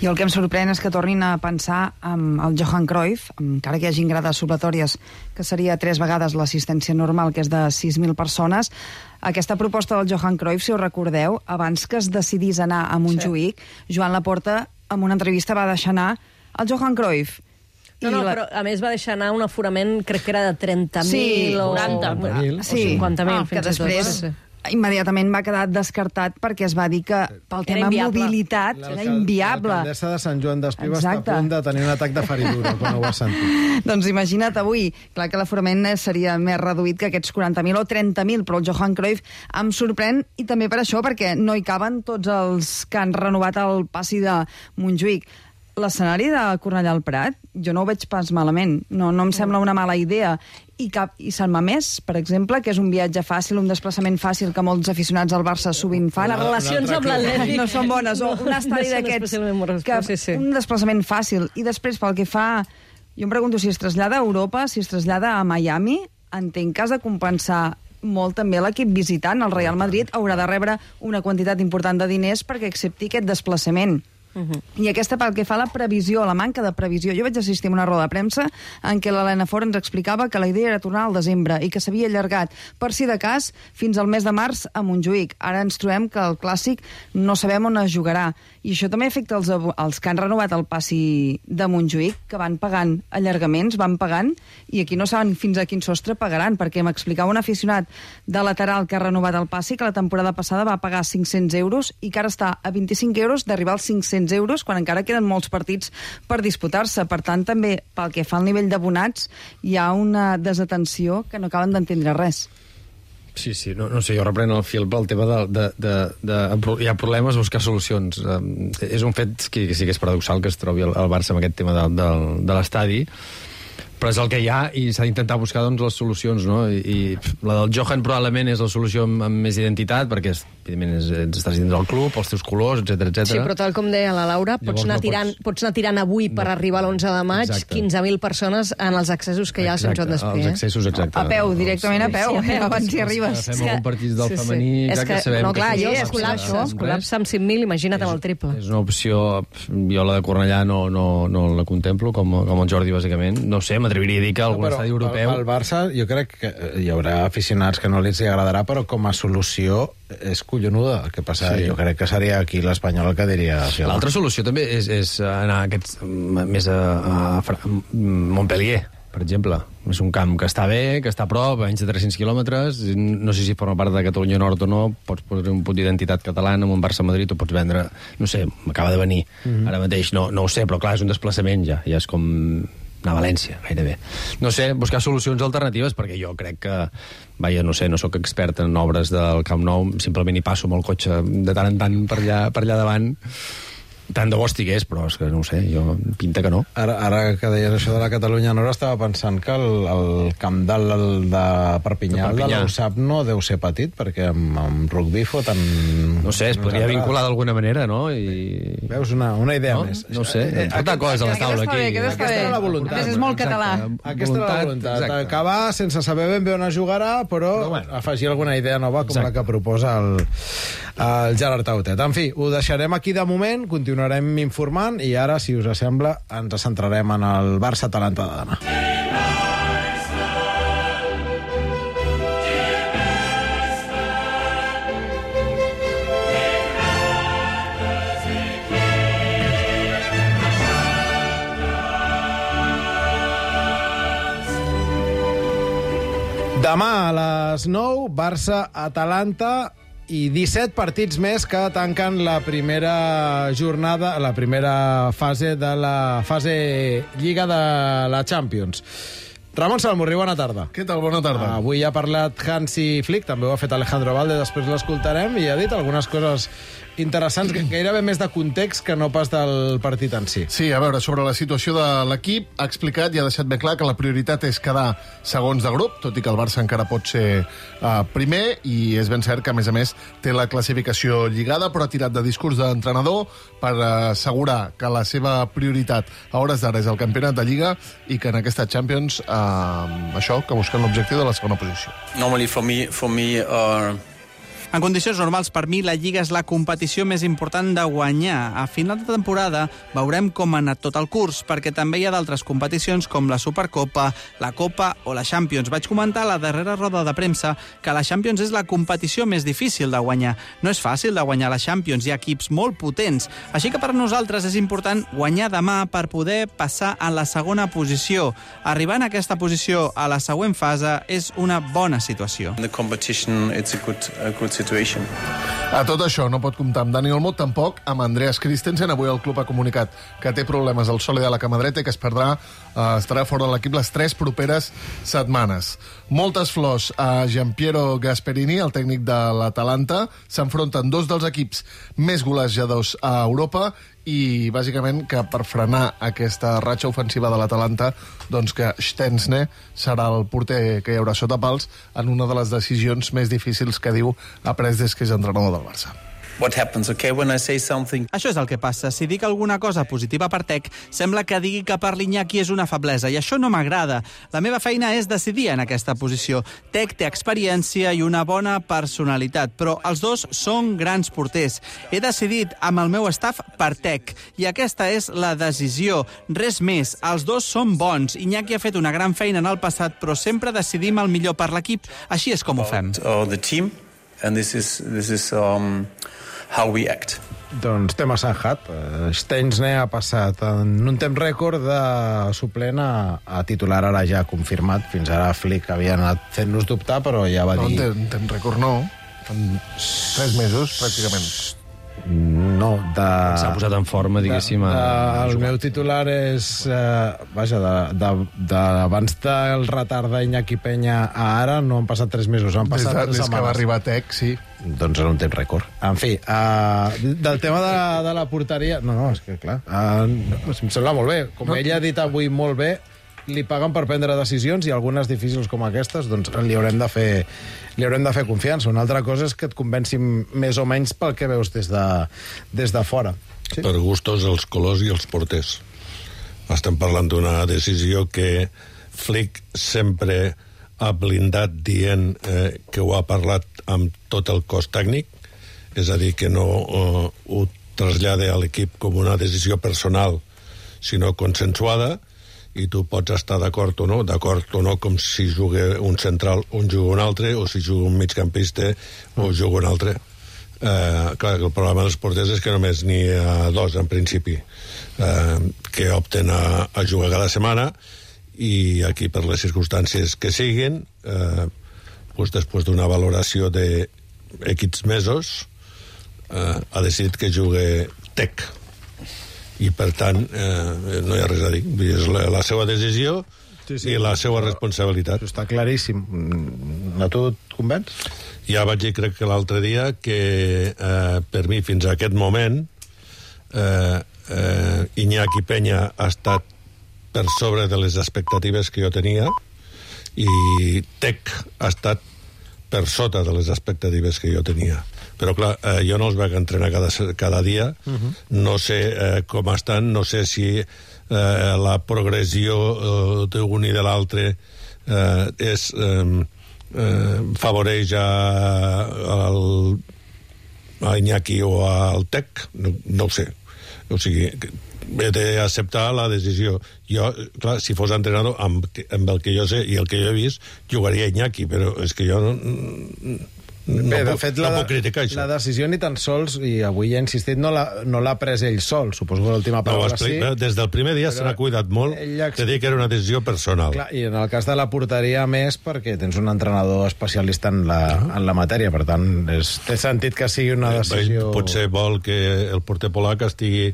[SPEAKER 9] Jo el que em sorprèn és que tornin a pensar amb el Johan Cruyff, encara que hi hagin grades supletòries, que seria tres vegades l'assistència normal, que és de sis mil persones. Aquesta proposta del Johan Cruyff, si us recordeu, abans que es decidís anar a Montjuïc, sí. Joan Laporta, en una entrevista, va deixar anar el Johan Cruyff.
[SPEAKER 4] No,
[SPEAKER 9] I
[SPEAKER 4] no,
[SPEAKER 9] la-
[SPEAKER 4] però a més va deixar anar un aforament, crec que era de trenta mil
[SPEAKER 9] Sí,
[SPEAKER 4] o...
[SPEAKER 6] quaranta.
[SPEAKER 4] o
[SPEAKER 9] Sí.
[SPEAKER 4] cinquanta mil,
[SPEAKER 9] Ah, que
[SPEAKER 4] fins i tot.
[SPEAKER 9] després
[SPEAKER 4] Sí.
[SPEAKER 9] immediatament va quedar descartat perquè es va dir que pel
[SPEAKER 4] Era
[SPEAKER 9] tema
[SPEAKER 4] inviable.
[SPEAKER 9] mobilitat era inviable.
[SPEAKER 2] L'alcaldessa de Sant Joan d'Espí va estar a
[SPEAKER 9] Exacte.
[SPEAKER 2] punt de tenir un atac de feridura quan ho va sentir.
[SPEAKER 9] Doncs imagina't avui, clar que l'aforament seria més reduït que aquests quaranta mil o trenta mil, però el Johan Cruyff em sorprèn, i també per això, perquè no hi caben tots els que han renovat el passi de Montjuïc. L'escenari de Cornellà al Prat, jo no ho veig pas malament, no, no em sembla una mala idea. I, cap, i Sant Mamés, per exemple, que és un viatge fàcil, un desplaçament fàcil que molts aficionats al Barça sovint fan.
[SPEAKER 4] Les relacions amb l'Atlètic
[SPEAKER 9] no són bones, o un estadi
[SPEAKER 4] no són
[SPEAKER 9] d'aquests,
[SPEAKER 4] especialment moroses,
[SPEAKER 9] que
[SPEAKER 4] però sí, sí.
[SPEAKER 9] un desplaçament fàcil. I després, pel que fa... Jo em pregunto si es trasllada a Europa, si es trasllada a Miami, entenc que has de compensar molt també l'equip visitant. El Real Madrid haurà de rebre una quantitat important de diners perquè accepti aquest desplaçament. Uh-huh. I aquesta pel que fa a la previsió, la manca de previsió. Jo vaig assistir a una roda de premsa en què l'Helena Fort ens explicava que la idea era tornar al desembre i que s'havia allargat, per si de cas, fins al mes de març a Montjuïc. Ara ens trobem que el Clàssic no sabem on es jugarà. I això també afecta els, els que han renovat el passi de Montjuïc, que van pagant allargaments, van pagant, i aquí no saben fins a quin sostre pagaran, perquè m'explicava un aficionat de lateral que ha renovat el passi que la temporada passada va pagar cinc-cents euros i que ara està a vint-i-cinc euros d'arribar als cinc-cents euros quan encara queden molts partits per disputar-se. Per tant, també, pel que fa al nivell d'abonats, hi ha una desatenció que no acaben d'entendre res.
[SPEAKER 5] Sí, sí, no, no sé, jo repreno el fil pel tema de... de, de, de, de hi ha problemes, buscar solucions. Um, és un fet que, que sí que és paradoxal que es trobi el, el Barça amb aquest tema de, de, de l'estadi, però és el que hi ha i s'ha d'intentar buscar doncs, les solucions, no? I, i la del Johan probablement és la solució amb, amb més identitat, perquè és, evidentment és, estàs dins del club, els teus colors, etcètera, etcètera.
[SPEAKER 4] Sí, però tal com deia la Laura, pots
[SPEAKER 5] Llavors
[SPEAKER 4] anar,
[SPEAKER 5] no
[SPEAKER 4] tirant,
[SPEAKER 5] pots-
[SPEAKER 4] pots anar tirant avui per
[SPEAKER 5] No.
[SPEAKER 4] arribar a l'onze de maig
[SPEAKER 5] Exacte.
[SPEAKER 4] quinze mil persones en els accessos que hi ha al Sant Joan d'Espí.
[SPEAKER 5] Els
[SPEAKER 4] Eh?
[SPEAKER 5] accessos, exacte.
[SPEAKER 9] A peu, directament a peu,
[SPEAKER 4] Sí, a peu.
[SPEAKER 9] abans hi arribes.
[SPEAKER 5] Fem algun partit del
[SPEAKER 4] Sí, sí.
[SPEAKER 5] femení,
[SPEAKER 4] És
[SPEAKER 5] clar,
[SPEAKER 4] que,
[SPEAKER 5] que sabem
[SPEAKER 4] no, clar,
[SPEAKER 5] que
[SPEAKER 4] jo
[SPEAKER 9] sí,
[SPEAKER 4] es
[SPEAKER 9] és
[SPEAKER 4] col·lapsa,
[SPEAKER 9] això.
[SPEAKER 4] es col·lapsa amb cinc mil, imagina't amb el triple.
[SPEAKER 5] És una opció, jo la de Cornellà no, no, no la contemplo, com, com el Jordi, bàsicament. No sé, m'atreviria a dir que algun
[SPEAKER 2] Però
[SPEAKER 5] estadi europeu...
[SPEAKER 2] El, el Barça, jo crec que hi haurà aficionats que no els hi agradarà, però com a solució és collonuda. El que passa,
[SPEAKER 5] Sí.
[SPEAKER 2] sí. jo crec que seria aquí l'Espanyol el que diria...
[SPEAKER 5] L'altra solució també és, és anar aquests, més a, a, Fra- Montpellier. per exemple. És un camp que està bé, que està a prop, a menys de tres-cents quilòmetres, no sé si forma part de Catalunya Nord o no, pots posar un punt d'identitat catalana amb un Barça-Madrid, o pots vendre, no sé, m'acaba de venir, mm-hmm. ara mateix, no, no ho sé, però clar, és un desplaçament ja, ja és com anar a València, gairebé. No sé, buscar solucions alternatives, perquè jo crec que, vaja, no sé, no sóc expert en obres del Camp Nou, simplement hi passo amb el cotxe de tant en tant per allà, per allà davant. Tant de bo estigués, però és que no ho sé, jo pinta que no.
[SPEAKER 2] Ara, ara que deies això de la Catalunya Nord, estava pensant que el, el camp del, de Perpinyà, de, de l'Usap, no deu ser petit, perquè amb, amb rugby foten...
[SPEAKER 5] No sé, es podria vincular d'alguna manera, no? I...
[SPEAKER 2] Veus, una, una idea
[SPEAKER 5] no?
[SPEAKER 2] més.
[SPEAKER 5] No sé, eh, portar coses a la taula aquí.
[SPEAKER 9] Aquesta
[SPEAKER 2] era la voluntat.
[SPEAKER 9] Aquesta és molt català.
[SPEAKER 2] Aquesta era la voluntat. Acabar sense saber ben bé on es jugarà, però, però bueno, afegir alguna idea nova com Exacte. La que proposa el, el Gerard Tautet. En fi, ho deixarem aquí de moment, continuarem informant i ara, si us sembla, ens centrarem en el Barça-Atalanta de demà. Demà a les nou, Barça-Atalanta i disset partits més que tanquen la primera jornada, la primera fase de la fase Lliga de la Champions. Ramon Salmurri, bona tarda.
[SPEAKER 10] Què tal? Bona tarda.
[SPEAKER 2] Avui ha parlat Hansi Flick, també ho ha fet Alejandro Valde, després l'escoltarem, i ha dit algunes coses interessants, gairebé més de context que no pas del partit en si.
[SPEAKER 10] Sí, a veure, sobre la situació de l'equip, ha explicat i ha deixat ben clar que la prioritat és quedar segons de grup, tot i que el Barça encara pot ser uh, primer, i és ben cert que, a més a més, té la classificació lligada, però ha tirat de discurs d'entrenador per assegurar que la seva prioritat a hores d'ara és el campionat de Lliga i que en aquesta Champions, uh, això, que busquen l'objectiu de la segona posició.
[SPEAKER 11] Normally for me, for me uh...
[SPEAKER 12] En condicions normals, per mi, la Lliga és la competició més important de guanyar. A final de temporada veurem com ha anat tot el curs, perquè també hi ha d'altres competicions com la Supercopa, la Copa o la Champions. Vaig comentar a la darrera roda de premsa que la Champions és la competició més difícil de guanyar. No és fàcil de guanyar la Champions, hi ha equips molt potents. Així que per nosaltres és important guanyar demà per poder passar a la segona posició. Arribar en aquesta posició a la següent fase és una bona situació.
[SPEAKER 11] The competition, it's a good, a good situation.
[SPEAKER 10] A tot això no pot comptar amb Dani Olmo, tampoc amb Andreas Christensen. Avui el club ha comunicat que té problemes al sòlid de la cama dreta i que es perdrà, eh, estarà fora de l'equip les tres properes setmanes. Moltes flors a Gianpiero Gasperini, el tècnic de l'Atalanta. S'enfronten dos dels equips més golejadors a Europa i, bàsicament, que per frenar aquesta ratxa ofensiva de l'Atalanta, doncs que Stensne serà el porter que hi haurà sota pals en una de les decisions més difícils que diu ha pres des que és entrenador del Barça.
[SPEAKER 11] What happens, okay, when I say something...
[SPEAKER 12] Això és el que passa. Si dic alguna cosa positiva per Tec, sembla que digui que per l'Iñaki és una feblesa, i això no m'agrada. La meva feina és decidir en aquesta posició. Tec té experiència i una bona personalitat, però els dos són grans porters. He decidit amb el meu staff per Tec, i aquesta és la decisió. Res més, els dos són bons. Iñaki ha fet una gran feina en el passat, però sempre decidim el millor per l'equip. Així és com ho fem.
[SPEAKER 11] Oh, the team, and this is, this is, um... how we act.
[SPEAKER 2] Doncs tema sanjat. Stensne ha passat en un temps rècord de suplent a, a titular, ara ja confirmat. Fins ara Flick havia anat fent-nos dubtar, però ja va
[SPEAKER 10] no,
[SPEAKER 2] dir...
[SPEAKER 10] No, en temps rècord no. En tres mesos, pràcticament.
[SPEAKER 2] No, de...
[SPEAKER 5] S'ha posat en forma, diguéssim.
[SPEAKER 2] De, de, el meu titular és... Eh, vaja, d'abans de, de, del retard d'Iñaki Peña a ara no han passat tres mesos, han passat
[SPEAKER 10] des de,
[SPEAKER 2] tres
[SPEAKER 10] des
[SPEAKER 2] setmanes.
[SPEAKER 10] Que va arribar a Tec, sí.
[SPEAKER 2] Doncs en un temps rècord. En fi, uh, del tema de la, de la porteria... No, no, és que clar, uh, em sembla molt bé. Com no. Ell ha dit avui molt bé, li paguen per prendre decisions i algunes difícils com aquestes, doncs li haurem de fer, li haurem de fer confiança. Una altra cosa és que et convenci més o menys pel que veus des de, des de fora.
[SPEAKER 7] Sí? Per gustos, els colors i els porters. Estem parlant d'una decisió que Flick sempre ha blindat dient eh, que ho ha parlat amb tot el cos tècnic, és a dir, que no eh, ho trasllada a l'equip com una decisió personal, sinó consensuada, i tu pots estar d'acord o no, d'acord o no, com si juga un central un juga un altre, o si juga un migcampista o juga un altre. Eh, clar, el problema dels porters és que només n'hi ha dos, en principi, eh, que opten a, a jugar cada setmana, i aquí, per les circumstàncies que siguin, eh, pues, després d'una valoració de X mesos, eh, ha decidit que jugue Tec. I, per tant, eh, no hi ha res a dir. És la, la seva decisió sí, sí, i la seva responsabilitat.
[SPEAKER 2] Això està claríssim. A tu et convenç?
[SPEAKER 7] Ja vaig dir, crec que l'altre dia, que eh, per mi, fins a aquest moment, eh, eh, Iñaki Peña ha estat per sobre de les expectatives que jo tenia i Tec ha estat per sota de les expectatives que jo tenia. Però, clar, eh, jo no els vaig entrenar cada, cada dia, uh-huh. no sé eh, com estan, no sé si eh, la progressió eh, d'un i de l'altre eh, és... Eh, Eh, favoreix a, al, a Iñaki o al Tec, no, no ho sé. O sigui, he d'acceptar la decisió. Jo, clar, si fos entrenador, amb, amb el que jo sé i el que jo he vist, jugaria Iñaki, però és que jo no...
[SPEAKER 2] Bé,
[SPEAKER 7] no
[SPEAKER 2] de
[SPEAKER 7] puc,
[SPEAKER 2] fet,
[SPEAKER 7] no
[SPEAKER 2] la,
[SPEAKER 7] puc criticar això.
[SPEAKER 2] La decisió ni tan sols, i avui he insistit, no l'ha no pres ell sol. Suposo que l'última paraula
[SPEAKER 7] no,
[SPEAKER 2] sí.
[SPEAKER 7] Des del primer dia se n'ha cuidat molt de dir que era una decisió personal.
[SPEAKER 2] Clar, i en el cas de la porteria més, perquè tens un entrenador especialista en la, en la matèria, per tant, és, té sentit que sigui una decisió...
[SPEAKER 7] Ell potser vol que el porter polac estigui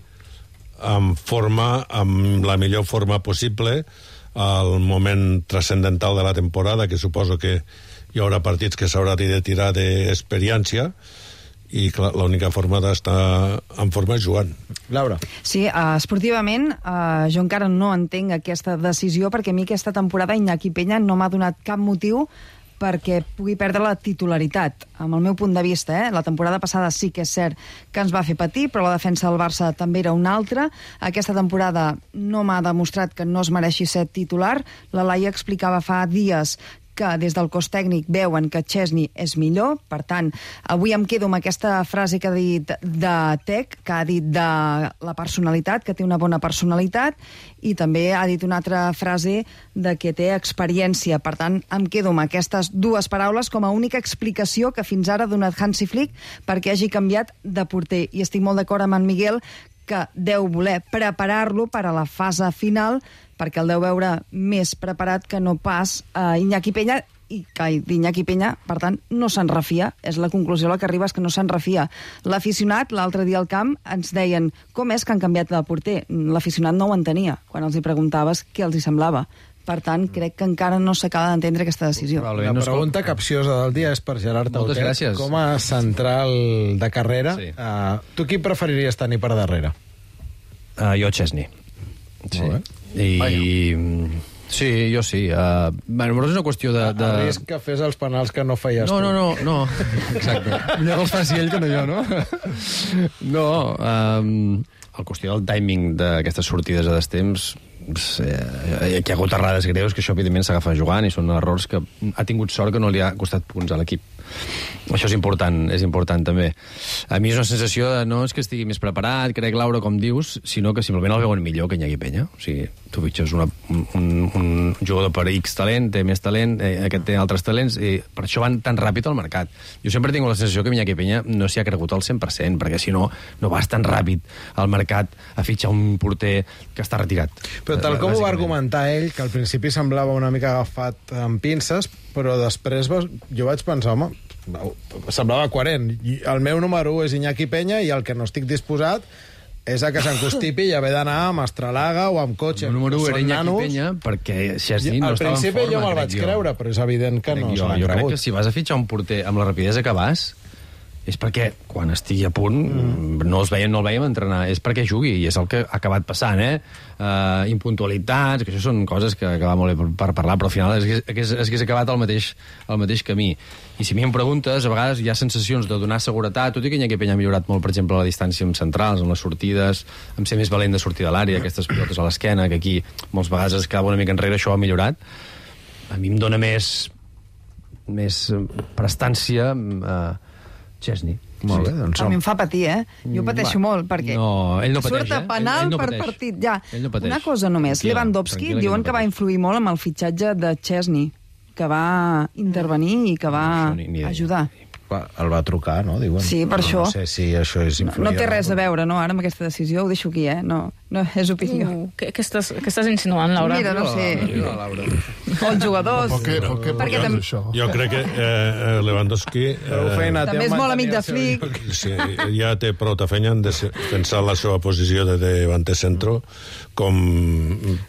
[SPEAKER 7] en forma, amb la millor forma possible, al moment transcendental de la temporada, que suposo que hi haurà partits que s'haurà de tirar d'experiència i, clar, l'única forma d'estar en forma és jugant.
[SPEAKER 2] Laura.
[SPEAKER 9] Sí, uh, esportivament uh, jo encara no entenc aquesta decisió perquè a mi aquesta temporada Iñaki Peña no m'ha donat cap motiu perquè pugui perdre la titularitat. Amb el meu punt de vista, eh? La temporada passada sí que és cert que ens va fer patir, però la defensa del Barça també era una altra. Aquesta temporada no m'ha demostrat que no es mereixi ser titular. La Laia explicava fa dies que des del cos tècnic veuen que Chesney és millor, per tant, avui em quedo amb aquesta frase que ha dit de Tec, que ha dit de la personalitat, que té una bona personalitat, i també ha dit una altra frase de que té experiència. Per tant, em quedo amb aquestes dues paraules com a única explicació que fins ara ha donat Hansi Flick perquè hagi canviat de porter. I estic molt d'acord amb en Miguel que deu voler preparar-lo per a la fase final, perquè el deu veure més preparat que no pas a uh, Iñaki Peña, i que d'Iñaki Peña, per tant, no se'n refia. És la conclusió a la que arriba, és que no se'n refia. L'aficionat, l'altre dia al camp, ens deien com és que han canviat de porter. L'aficionat no ho entenia, quan els hi preguntaves què els hi semblava. Per tant, crec que encara no s'acaba d'entendre aquesta decisió.
[SPEAKER 2] La pregunta capciosa del dia és per Gerard Tautet.
[SPEAKER 5] Moltes gràcies.
[SPEAKER 2] Com a central de carrera, sí. uh, tu qui preferiries tenir per darrere?
[SPEAKER 5] Uh, jo, Chesney. Sí. I... Sí, jo sí. Uh, bueno, és una qüestió de... de...
[SPEAKER 2] A risc que fes els penals que no feies
[SPEAKER 5] no,
[SPEAKER 2] tu.
[SPEAKER 5] No, no, no. Exacte. Millor els faci ell que no jo, no? No. Um, la qüestió del timing d'aquestes sortides a destemps, eh, que hi ha hagut errades greus, que això, evidentment, s'agafa jugant, i són errors que ha tingut sort que no li ha costat punts a l'equip. Això és important, és important també. A mi és una sensació de no és que estigui més preparat, crec, Laura, com dius, sinó que simplement el veuen millor que Iñaki Peña. O sigui, tu fitxes una, un, un jugador per X talent, té més talent, eh, aquest té altres talents, i per això van tan ràpid al mercat. Jo sempre tinc la sensació que Iñaki Peña no s'hi ha cregut al cent per cent, perquè si no, no vas tan ràpid al mercat a fitxar un porter que està retirat.
[SPEAKER 2] Però tal com ho va argumentar ell, que al principi semblava una mica agafat amb pinces, però després jo vaig pensar, home, semblava coherent. El meu número un és Iñaki Peña i el que no estic disposat és a que s'encostipi i haver d'anar amb Astralaga o amb cotxe.
[SPEAKER 5] El número un era Iñaki Peña perquè Chesney no estava en forma.
[SPEAKER 2] Al principi jo me'l vaig
[SPEAKER 5] jo.
[SPEAKER 2] creure, però és evident que
[SPEAKER 5] crec
[SPEAKER 2] no
[SPEAKER 5] jo,
[SPEAKER 2] se l'han
[SPEAKER 5] jo
[SPEAKER 2] cregut.
[SPEAKER 5] crec que si vas a fitxar un porter amb la rapidesa que vas, és perquè quan estigui a punt mm. no, els veiem, no el veiem entrenar, és perquè jugui, i és el que ha acabat passant, eh? Uh, impuntualitats, que això són coses que, que va molt bé per, per parlar, però al final és que és, és, és acabat el mateix, el mateix camí. I si a mi em preguntes, a vegades hi ha sensacions de donar seguretat, tot i que Iñaki Peña ha millorat molt, per exemple, a la distància amb centrals, amb les sortides, amb ser més valent de sortir de l'àrea, aquestes pilotes a l'esquena, que aquí moltes vegades es quedava una mica enrere, això ha millorat. A mi em dona més, més prestància eh, Chesney.
[SPEAKER 2] Molt bé, doncs
[SPEAKER 9] a mi em fa patir, eh? Jo pateixo
[SPEAKER 5] Va.
[SPEAKER 9] molt, perquè
[SPEAKER 5] no, ell no pateix,
[SPEAKER 9] surt a penal
[SPEAKER 5] eh? ell, ell no
[SPEAKER 9] per
[SPEAKER 5] pateix.
[SPEAKER 9] partit. Ja.
[SPEAKER 5] No
[SPEAKER 9] Una cosa només,
[SPEAKER 5] tranquil·la,
[SPEAKER 9] Lewandowski
[SPEAKER 5] tranquil·la,
[SPEAKER 9] diuen
[SPEAKER 5] no
[SPEAKER 9] que va influir molt amb el fitxatge de Chesney, que va intervenir i que va
[SPEAKER 5] no, ni, ni
[SPEAKER 9] ajudar.
[SPEAKER 2] Va, el va trucar, no? Diuen.
[SPEAKER 9] Sí, per
[SPEAKER 2] no,
[SPEAKER 9] això.
[SPEAKER 2] No sé si això és
[SPEAKER 9] No,
[SPEAKER 2] influir.
[SPEAKER 9] no té res a veure, no, ara amb aquesta decisió, ho deixo aquí, eh? No, no és opinió.
[SPEAKER 6] Uh, què, què, estàs, què estàs insinuant, Laura?
[SPEAKER 9] Mira, no sé.
[SPEAKER 5] Mira, Laura.
[SPEAKER 9] O els jugadors.
[SPEAKER 10] Per què, per què, per
[SPEAKER 9] Perquè
[SPEAKER 10] què
[SPEAKER 9] tam-
[SPEAKER 10] és això?
[SPEAKER 7] Jo crec que eh, Lewandowski...
[SPEAKER 2] Prou feina té
[SPEAKER 9] També és
[SPEAKER 2] en
[SPEAKER 9] molt
[SPEAKER 2] mantenir
[SPEAKER 9] amic de
[SPEAKER 2] el seu
[SPEAKER 9] Flick.
[SPEAKER 2] lloc.
[SPEAKER 7] Sí, ja té prou de feina en defensar la seva posició de davanter centro com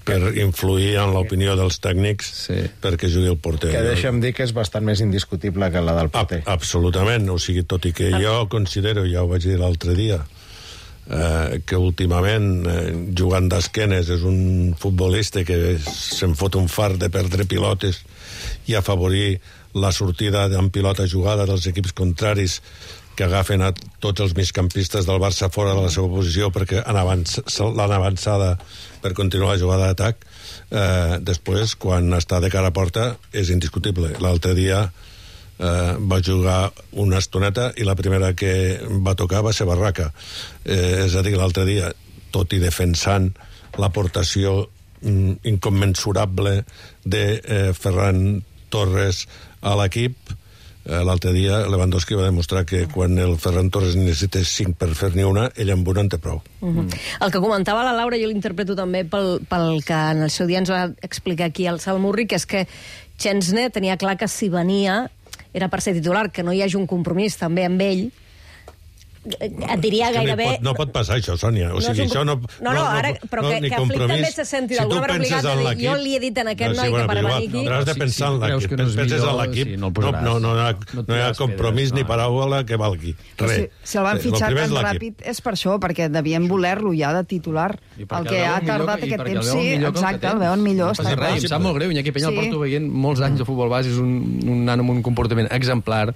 [SPEAKER 7] per influir en l'opinió dels tècnics
[SPEAKER 5] Sí.
[SPEAKER 7] perquè jugui el porter.
[SPEAKER 2] Que deixa'm dir que és bastant més indiscutible que la del
[SPEAKER 7] A,
[SPEAKER 2] porter.
[SPEAKER 7] absolutament, o sigui, tot i que jo considero, ja ho vaig dir l'altre dia, eh, que últimament eh, jugant d'esquenes és un futbolista que se'n fot un fart de perdre pilotes i afavorir la sortida en pilota jugada dels equips contraris que agafen a tots els migcampistes del Barça fora de la seva posició perquè han avanç, l'han avançada per continuar la jugada d'atac. Eh, després, quan està de cara a porta, és indiscutible. L'altre dia eh, va jugar una estoneta i la primera que va tocar va ser Barraca. Eh, és a dir, l'altre dia, tot i defensant l'aportació mm, incommensurable de eh, Ferran Torres a l'equip, eh, l'altre dia Lewandowski va demostrar que quan el Ferran Torres necessita cinc per fer ni una, ell amb una en té prou.
[SPEAKER 4] Uh -huh. El que comentava la Laura, jo l'interpreto també pel, pel que en el seu dia ens va explicar aquí el Salmurri, que és que Chesney tenia clar que si venia era per ser titular, que no hi hagi un compromís també amb ell. Et diria
[SPEAKER 7] És que
[SPEAKER 4] gairebé...
[SPEAKER 7] No pot, no pot passar això, Sònia. O
[SPEAKER 4] No és
[SPEAKER 7] sigui,
[SPEAKER 4] un
[SPEAKER 7] això no...
[SPEAKER 4] No, no, ara, però que,
[SPEAKER 7] ni
[SPEAKER 4] que Flick
[SPEAKER 7] compromís.
[SPEAKER 4] també se senti
[SPEAKER 7] Si
[SPEAKER 4] d'alguna
[SPEAKER 7] tu
[SPEAKER 4] manera
[SPEAKER 7] penses
[SPEAKER 4] obligat
[SPEAKER 7] en
[SPEAKER 4] a dir,
[SPEAKER 7] l'equip-
[SPEAKER 4] jo li he dit en aquest
[SPEAKER 7] No, sí,
[SPEAKER 4] noi
[SPEAKER 7] bueno,
[SPEAKER 4] que per
[SPEAKER 7] però
[SPEAKER 4] venir
[SPEAKER 7] igual,
[SPEAKER 4] aquí...
[SPEAKER 7] però has de
[SPEAKER 5] Si-
[SPEAKER 7] pensar
[SPEAKER 5] si
[SPEAKER 7] en
[SPEAKER 5] creus
[SPEAKER 7] l'equip.
[SPEAKER 5] que no és
[SPEAKER 7] Penses en
[SPEAKER 5] millor,
[SPEAKER 7] l'equip,
[SPEAKER 5] sí, no el
[SPEAKER 7] no,
[SPEAKER 5] posaràs.
[SPEAKER 7] no, no, hi ha,
[SPEAKER 5] No et
[SPEAKER 7] no hi ha
[SPEAKER 5] tiraràs
[SPEAKER 7] compromís
[SPEAKER 5] pedres,
[SPEAKER 7] ni
[SPEAKER 5] no.
[SPEAKER 7] paraula que valgui. Res.
[SPEAKER 9] Si, si el van
[SPEAKER 7] Eh,
[SPEAKER 9] fitxar
[SPEAKER 7] primer és
[SPEAKER 9] tan
[SPEAKER 7] l'equip.
[SPEAKER 9] ràpid és per això, perquè devien voler-lo ja de titular.
[SPEAKER 5] I perquè
[SPEAKER 9] El que
[SPEAKER 5] el veuen
[SPEAKER 9] ha
[SPEAKER 5] millor
[SPEAKER 9] tardat
[SPEAKER 5] que- i
[SPEAKER 9] aquest
[SPEAKER 5] perquè el
[SPEAKER 9] temps,
[SPEAKER 5] veuen
[SPEAKER 9] sí,
[SPEAKER 5] millor que el que
[SPEAKER 9] exacte, el
[SPEAKER 5] tens.
[SPEAKER 9] veuen millor.
[SPEAKER 5] No
[SPEAKER 9] està
[SPEAKER 5] passa res,
[SPEAKER 9] clar.
[SPEAKER 5] em sap molt greu. Iñaki Peña
[SPEAKER 9] Sí.
[SPEAKER 5] el porto veient molts anys de futbol base, és un, un nano amb un comportament exemplar,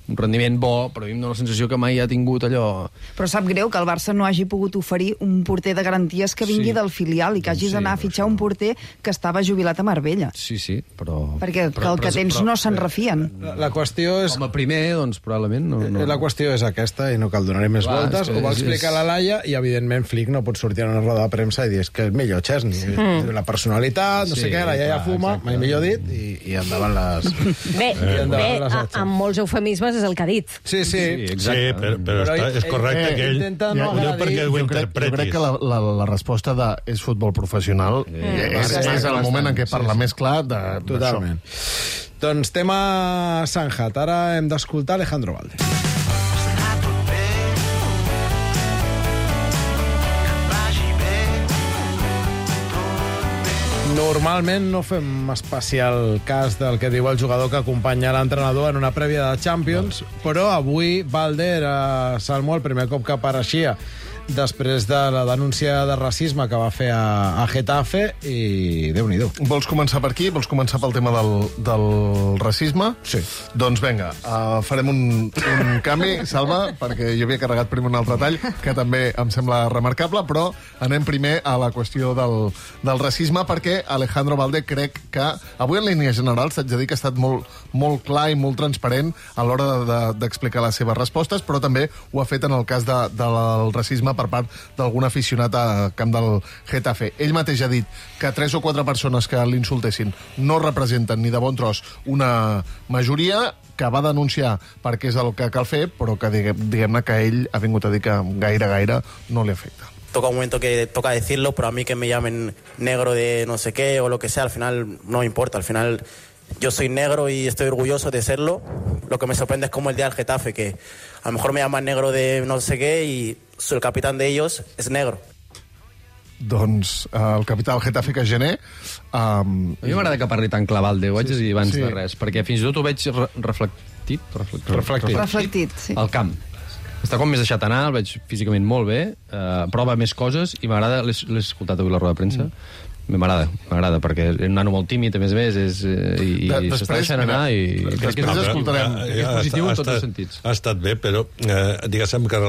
[SPEAKER 5] un rendiment bo, però a mi em dóna la sensació que mai ha tingut allò...
[SPEAKER 9] Però sap greu que el Barça no hagi pogut oferir un porter de garanties que vingui
[SPEAKER 5] Sí.
[SPEAKER 9] del filial i que hagis
[SPEAKER 5] Sí,
[SPEAKER 9] d'anar a
[SPEAKER 5] però
[SPEAKER 9] fitxar
[SPEAKER 5] això-
[SPEAKER 9] un porter que estava jubilat a Marbella.
[SPEAKER 5] Sí, sí, però...
[SPEAKER 9] Perquè
[SPEAKER 5] però,
[SPEAKER 9] el que
[SPEAKER 5] però-
[SPEAKER 9] tens
[SPEAKER 5] però-
[SPEAKER 9] no se'n refien.
[SPEAKER 2] La, la qüestió és...
[SPEAKER 5] Com a primer, doncs, probablement... No, no.
[SPEAKER 2] La qüestió és aquesta i no cal donar-hi més
[SPEAKER 5] Clar,
[SPEAKER 2] voltes.
[SPEAKER 5] és que
[SPEAKER 2] Ho va
[SPEAKER 5] és-
[SPEAKER 2] explicar
[SPEAKER 5] és-
[SPEAKER 2] la Laia i, evidentment, Flick no pot sortir a una roda de premsa i dir és que és millor Chesney. Mm. La personalitat, no
[SPEAKER 5] Sí,
[SPEAKER 2] sé què, la iaia
[SPEAKER 5] clar,
[SPEAKER 2] fuma,
[SPEAKER 5] exacte.
[SPEAKER 2] mai millor dit, i, i endavant les...
[SPEAKER 4] Bé,
[SPEAKER 2] Eh,
[SPEAKER 4] bé
[SPEAKER 2] les
[SPEAKER 4] a,
[SPEAKER 2] atxes.
[SPEAKER 4] amb molts eufemismes és el que ha dit.
[SPEAKER 2] Sí, sí.
[SPEAKER 5] Sí,
[SPEAKER 7] Sí,
[SPEAKER 5] exacte.
[SPEAKER 7] però, però,
[SPEAKER 2] Però
[SPEAKER 7] està,
[SPEAKER 2] ell-
[SPEAKER 7] és correcte
[SPEAKER 2] ell
[SPEAKER 7] que ell...
[SPEAKER 2] intenta no
[SPEAKER 7] ho diu
[SPEAKER 2] agredir.
[SPEAKER 7] perquè ho
[SPEAKER 10] Jo crec, jo crec
[SPEAKER 7] interpretis.
[SPEAKER 10] que la, la, la resposta de és futbol professional
[SPEAKER 5] Sí.
[SPEAKER 10] és,
[SPEAKER 5] Sí.
[SPEAKER 10] és el moment en què
[SPEAKER 5] Sí,
[SPEAKER 10] parla
[SPEAKER 5] sí.
[SPEAKER 10] més clar de,
[SPEAKER 2] Totalment. Doncs tema Sanjat. Ara hem d'escoltar Alejandro Valde. Normalment no fem especial cas del que diu el jugador que acompanya l'entrenador en una prèvia de Champions, però avui Valde era Salmo el primer cop que apareixia després de la denúncia de racisme que va fer a, a Getafe i Déu-n'hi-do.
[SPEAKER 10] Vols començar per aquí? Vols començar pel tema del, del racisme?
[SPEAKER 2] Sí.
[SPEAKER 10] Doncs vinga, uh, farem un, un canvi, Salva, perquè jo havia carregat primer un altre tall, que també em sembla remarcable, però anem primer a la qüestió del, del racisme, perquè Alejandro Valde crec que avui en línia general s'haig de dir que ha estat molt, molt clar i molt transparent a l'hora d'explicar de, de, les seves respostes, però també ho ha fet en el cas de, del racisme per part d'algun aficionat a camp del Getafe. Ell mateix ha dit que tres o quatre persones que l'insultessin no representen ni de bon tros una majoria, que va denunciar perquè és el que cal fer, però que diguem-ne que ell ha vingut a dir que gaire, gaire no li afecta.
[SPEAKER 13] Toca un momento que toca decirlo, pero a mí que me llamen negro de no sé qué o lo que sea, al final no me importa. Al final yo soy negro y estoy orgulloso de serlo. Lo que me sorprende es como el día del Getafe, que a lo mejor me llaman negro de no sé qué y soy el capitán de ellos, es negro.
[SPEAKER 10] Doncs uh, el capità del Getafe, que és gener... Um,
[SPEAKER 5] A mi m'agrada que parli tan clar, Valde, ho haig de dir abans
[SPEAKER 10] sí.
[SPEAKER 5] de res, perquè fins i tot ho veig re reflectit, reflectit,
[SPEAKER 2] Reflectit.
[SPEAKER 9] Reflectit, sí.
[SPEAKER 5] al camp. Està com més deixat anar, el veig físicament molt bé, eh, prova més coses, i m'agrada, l'he l'he escoltat avui a la roda de premsa, mm. m'agrada, m'agrada, perquè és un nano molt tímid, a més a més, és, eh, i, i
[SPEAKER 10] De-
[SPEAKER 5] s'està
[SPEAKER 10] després,
[SPEAKER 5] deixant anar, i
[SPEAKER 10] mira,
[SPEAKER 5] crec que
[SPEAKER 10] després
[SPEAKER 5] és,
[SPEAKER 10] escoltarem.
[SPEAKER 5] crec que és positiu
[SPEAKER 7] ha
[SPEAKER 5] en tots
[SPEAKER 7] estat-
[SPEAKER 5] els sentits.
[SPEAKER 7] Ha estat bé, però eh, diguéssim que,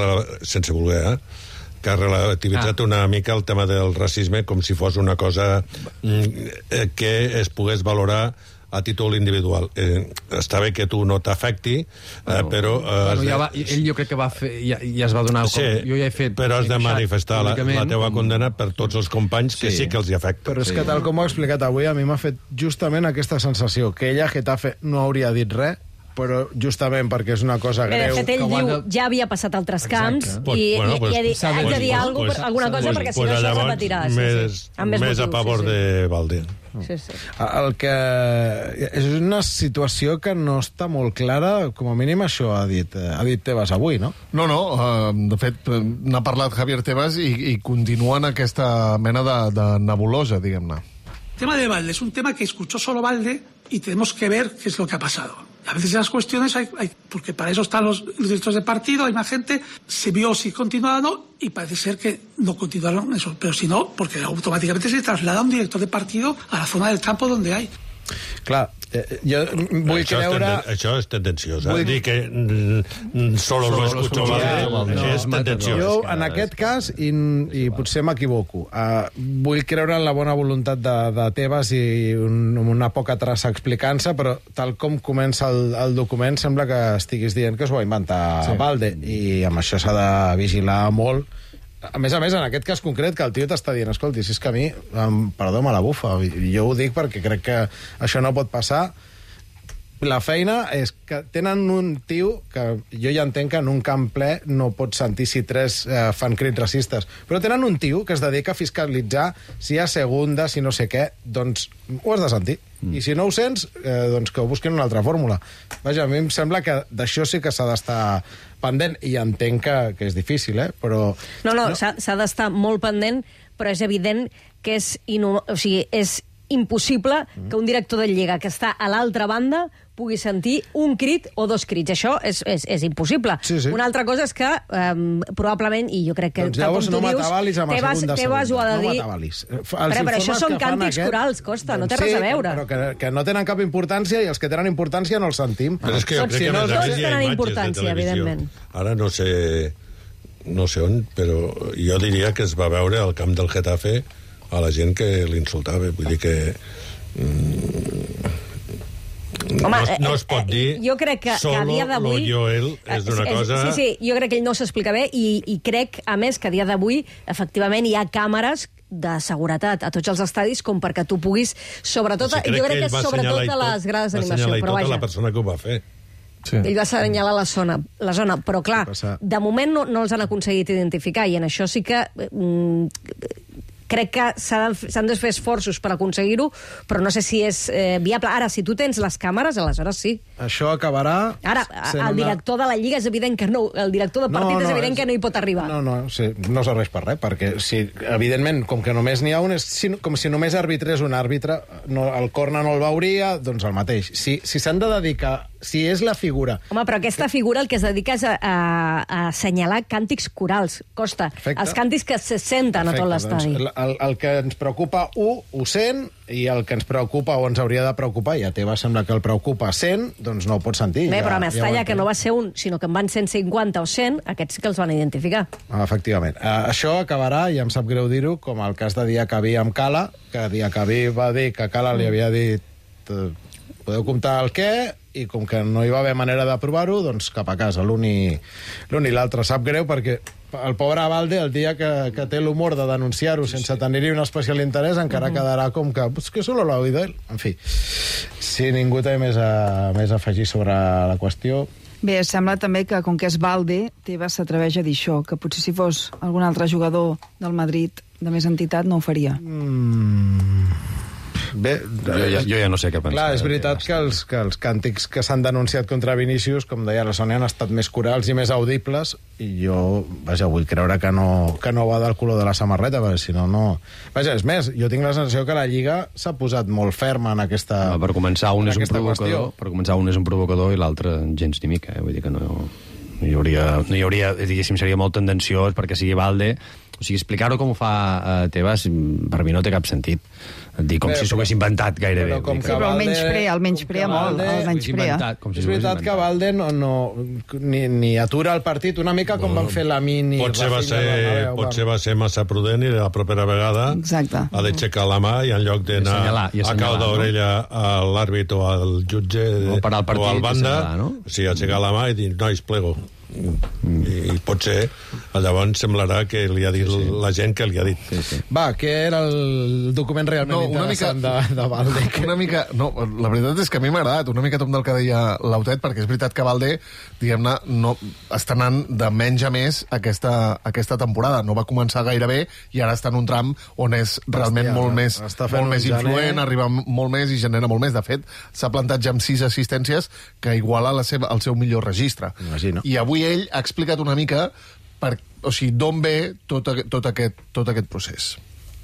[SPEAKER 7] sense voler, eh, que ha relativitzat ah. una mica el tema del racisme com si fos una cosa mm, que es pogués valorar a títol individual. Eh, està bé que tu no t'afecti, eh,
[SPEAKER 5] Bueno,
[SPEAKER 7] però... Eh,
[SPEAKER 5] bueno, ja va, ell jo crec que va fer, ja, ja es va donar...
[SPEAKER 7] Sí,
[SPEAKER 5] com, jo ja he fet...
[SPEAKER 7] però has de
[SPEAKER 5] he queixat
[SPEAKER 7] manifestar la,
[SPEAKER 5] públicament,
[SPEAKER 7] la teva
[SPEAKER 5] com-
[SPEAKER 7] condena per tots els companys que
[SPEAKER 5] Sí.
[SPEAKER 7] sí que els hi afecta.
[SPEAKER 2] Però és que tal com ho ha explicat avui, a mi m'ha fet justament aquesta sensació, que ella a Getafe no hauria dit res, però justament perquè és una cosa
[SPEAKER 4] Bé,
[SPEAKER 2] greu...
[SPEAKER 4] de fet, ell diu, ja havia passat altres camps
[SPEAKER 2] Exacte.
[SPEAKER 4] i,
[SPEAKER 2] Bueno,
[SPEAKER 4] i,
[SPEAKER 2] pues,
[SPEAKER 4] i ha dit,
[SPEAKER 2] s'ha de
[SPEAKER 4] haig de
[SPEAKER 2] dir,
[SPEAKER 4] dir
[SPEAKER 2] pues,
[SPEAKER 4] alguna
[SPEAKER 2] pues,
[SPEAKER 4] cosa, alguna cosa
[SPEAKER 2] pues,
[SPEAKER 4] perquè si
[SPEAKER 7] pues
[SPEAKER 4] no això
[SPEAKER 7] llavors,
[SPEAKER 4] repetirà. Sí,
[SPEAKER 7] més,
[SPEAKER 4] sí. Amb més,
[SPEAKER 7] més a
[SPEAKER 4] motius,
[SPEAKER 7] favor
[SPEAKER 4] sí, sí.
[SPEAKER 7] de Valde.
[SPEAKER 4] Sí, sí.
[SPEAKER 2] El que... És una situació que no està molt clara, com a mínim això ha dit, ha dit Tebas avui, no?
[SPEAKER 10] No, no, uh, de fet, n'ha parlat Javier Tebas i, i continua en aquesta mena de, de nebulosa, diguem-ne.
[SPEAKER 14] El tema de Valde es un tema que escuchó solo Valde y tenemos que ver qué es lo que ha pasado. A veces las cuestiones hay, hay porque para eso están los, los directores de partido, hay más gente, se vio si continuaba o no, y parece ser que no continuaron eso, pero si no, porque automáticamente se traslada un director de partido a la zona del campo donde hay.
[SPEAKER 2] Clar, eh, jo vull
[SPEAKER 7] això
[SPEAKER 2] creure...
[SPEAKER 7] És tenden, això és tendenciós.
[SPEAKER 2] Vull
[SPEAKER 7] Vull dir que mm, solo lo escucho Valde,
[SPEAKER 2] no,
[SPEAKER 7] és tendenciós.
[SPEAKER 2] Jo, en aquest cas, i, i potser m'equivoco, uh, vull creure en la bona voluntat de, de Tebas i un, una poca traça explicant-se, però tal com comença el, el document sembla que estiguis dient que es ho va inventar sí. Valde, i amb això s'ha de vigilar molt. A més a més, en aquest cas concret, que el tio t'està dient, escolti, si és que a mi, em, perdó, me la bufa. Jo ho dic perquè crec que això no pot passar. La feina és que tenen un tio que jo ja entenc que en un camp ple no pot sentir si tres eh, fan crits racistes, però tenen un tio que es dedica a fiscalitzar si hi ha segunda, si no sé què, doncs ho has de sentir. Mm. I si no ho sents, eh, doncs que ho busquin una altra fórmula. Vaja, a mi em sembla que d'això sí que s'ha d'estar pendent, i entenc que, que és difícil, eh? Però...
[SPEAKER 4] No, no, no. s'ha d'estar molt pendent, però és evident que és, inu... o sigui, és impossible mm. que un director de Lliga que està a l'altra banda pugui sentir un crit o dos crits. Això és, és, és impossible.
[SPEAKER 2] Sí, sí.
[SPEAKER 4] Una altra cosa és que um, probablement, i jo crec que
[SPEAKER 2] doncs llavors
[SPEAKER 4] tal com tu
[SPEAKER 2] no
[SPEAKER 4] dius,
[SPEAKER 2] m'atabalis amb
[SPEAKER 4] Tebas,
[SPEAKER 2] segunda,
[SPEAKER 4] Tebas ho ha de
[SPEAKER 2] no
[SPEAKER 4] dir...
[SPEAKER 2] m'atabalis.
[SPEAKER 4] Però, però això són càntics aquest... corals, Costa, no té res a veure.
[SPEAKER 2] Però que, que no tenen cap importància, i els que tenen importància no els sentim.
[SPEAKER 7] Però és que jo
[SPEAKER 4] Tots,
[SPEAKER 7] crec que
[SPEAKER 4] no,
[SPEAKER 7] a més a
[SPEAKER 4] tots
[SPEAKER 7] més hi ha
[SPEAKER 4] tenen
[SPEAKER 7] imatges
[SPEAKER 4] importància,
[SPEAKER 7] de televisió.
[SPEAKER 4] evidentment.
[SPEAKER 7] Ara no sé, no sé on, però jo diria que es va veure al camp del Getafe a la gent que l'insultava. Vull dir que... Mm,
[SPEAKER 4] Home,
[SPEAKER 7] no, no es pot dir
[SPEAKER 4] eh, jo crec que, que a dia d'avui...
[SPEAKER 7] Solo Joel és una cosa...
[SPEAKER 4] Sí, sí, jo crec que ell no s'explica bé, i, i crec, a més, que a dia d'avui, efectivament, hi ha càmeres de seguretat a tots els estadis com perquè tu puguis, sobretot,
[SPEAKER 7] o sigui,
[SPEAKER 4] jo crec que, que sobretot a les grades d'animació, però vaja.
[SPEAKER 7] Va la persona que ho va fer.
[SPEAKER 10] Sí.
[SPEAKER 4] Ell va assenyalar la zona, la zona, però clar, de moment no, no els han aconseguit identificar, i en això sí que... Mm, crec que s'han de fer esforços per aconseguir-ho, però no sé si és eh, viable. Ara, si tu tens les càmeres, aleshores sí.
[SPEAKER 2] Això acabarà...
[SPEAKER 4] Ara, el director de la Lliga és evident que no, el director de partit no, no, és evident és... que no hi pot arribar.
[SPEAKER 2] No, no, sí, no serveix per res, perquè si, evidentment, com que només n'hi ha un, és si, com si només arbitrés un àrbitre, no, el corna no el veuria, doncs el mateix. Si si s'han de dedicar, si és la figura...
[SPEAKER 4] Home, però aquesta figura el que es dedica és a, a, a assenyalar càntics corals, Costa. Perfecte. Els càntics que se senten Perfecte, a tot l'estadi.
[SPEAKER 2] Doncs, el, el que ens preocupa, un, ho sent, i el que ens preocupa o ens hauria de preocupar, i a Tebas sembla que el preocupa cent, doncs no ho pot sentir.
[SPEAKER 4] Bé,
[SPEAKER 2] ja,
[SPEAKER 4] però a Mestalla,
[SPEAKER 2] ja
[SPEAKER 4] que no va ser un, sinó que en van cent cinquanta o cent, aquests sí que els van identificar.
[SPEAKER 2] Ah, efectivament. Uh, això acabarà, i em sap greu dir-ho, com el cas de Diacabí amb Cala, que Diacabí va dir que Cala li havia dit uh, podeu comptar el què, i com que no hi va haver manera de provar-ho, doncs cap a casa. L'un i l'altre. Sap greu perquè el pobre Valde, el dia que, que té l'humor de denunciar-ho sense tenir-hi un especial interès, encara uh-huh. quedarà com que, pues que solo lo ha oído él. En fi, si ningú té més a, més a afegir sobre la qüestió...
[SPEAKER 9] Bé, sembla també que, com que és Valde, Tebas s'atreveix a dir això, que potser si fos algun altre jugador del Madrid de més entitat no ho faria.
[SPEAKER 2] Mm... Bé,
[SPEAKER 5] jo, ja, jo ja no sé què pensar.
[SPEAKER 2] Clar, és veritat que els, que els càntics que s'han denunciat contra Vinícius, com deia la Sònia, han estat més corals i més audibles, i jo, vaja, vull creure que no, que no va del color de la samarreta, perquè si no, no... Vaja, és més, jo tinc la sensació que la Lliga s'ha posat molt ferma en aquesta
[SPEAKER 5] no, per començar, un és un provocador,
[SPEAKER 2] qüestió.
[SPEAKER 5] Per començar, un és un provocador i l'altre gens ni mica, eh? Vull dir que no... No hi hauria, no hi hauria, diguéssim, seria molt tendenciós perquè sigui Valde. O sigui, explicar-ho com ho fa uh, Tebas, per mi no té cap sentit. Dir com Bé, si s'ho hagués inventat gairebé.
[SPEAKER 9] Però, com que però el menysprea, el menysprea molt, el menysprea.
[SPEAKER 2] Si és veritat que Valde no, no, ni, ni atura el partit, una mica com bueno, van fer la mini...
[SPEAKER 7] Potser va ser, Bernabéu, potser va ser massa prudent i la propera vegada
[SPEAKER 9] Exacte.
[SPEAKER 7] ha d'aixecar la mà i en lloc d'anar a cau d'orella no? a l'àrbit o al jutge o,
[SPEAKER 5] partit,
[SPEAKER 7] o al banda,
[SPEAKER 5] no?
[SPEAKER 7] sí, aixecar la mà i dir, nois, plego. I, i potser Llavors semblarà que li ha dit sí, sí. la gent que li ha dit.
[SPEAKER 2] Sí, sí. Va, què era el document realment no, interessant mica, de, de Valde?
[SPEAKER 10] Una mica... No, la veritat és que a mi m'ha agradat una mica tot del que deia l'Autet, perquè és veritat que Valde, diguem-ne, no, està anant de menys a més aquesta, aquesta temporada. No va començar gaire bé i ara està en un tram on és realment Hòstia, molt més, molt més influent, arriba molt més i genera molt més. De fet, s'ha plantat ja amb sis assistències que iguala la seva, el seu millor registre.
[SPEAKER 2] Imagino.
[SPEAKER 10] I avui ell ha explicat una mica per, o sigui, d'on ve tot, tot, aquest, tot aquest procés.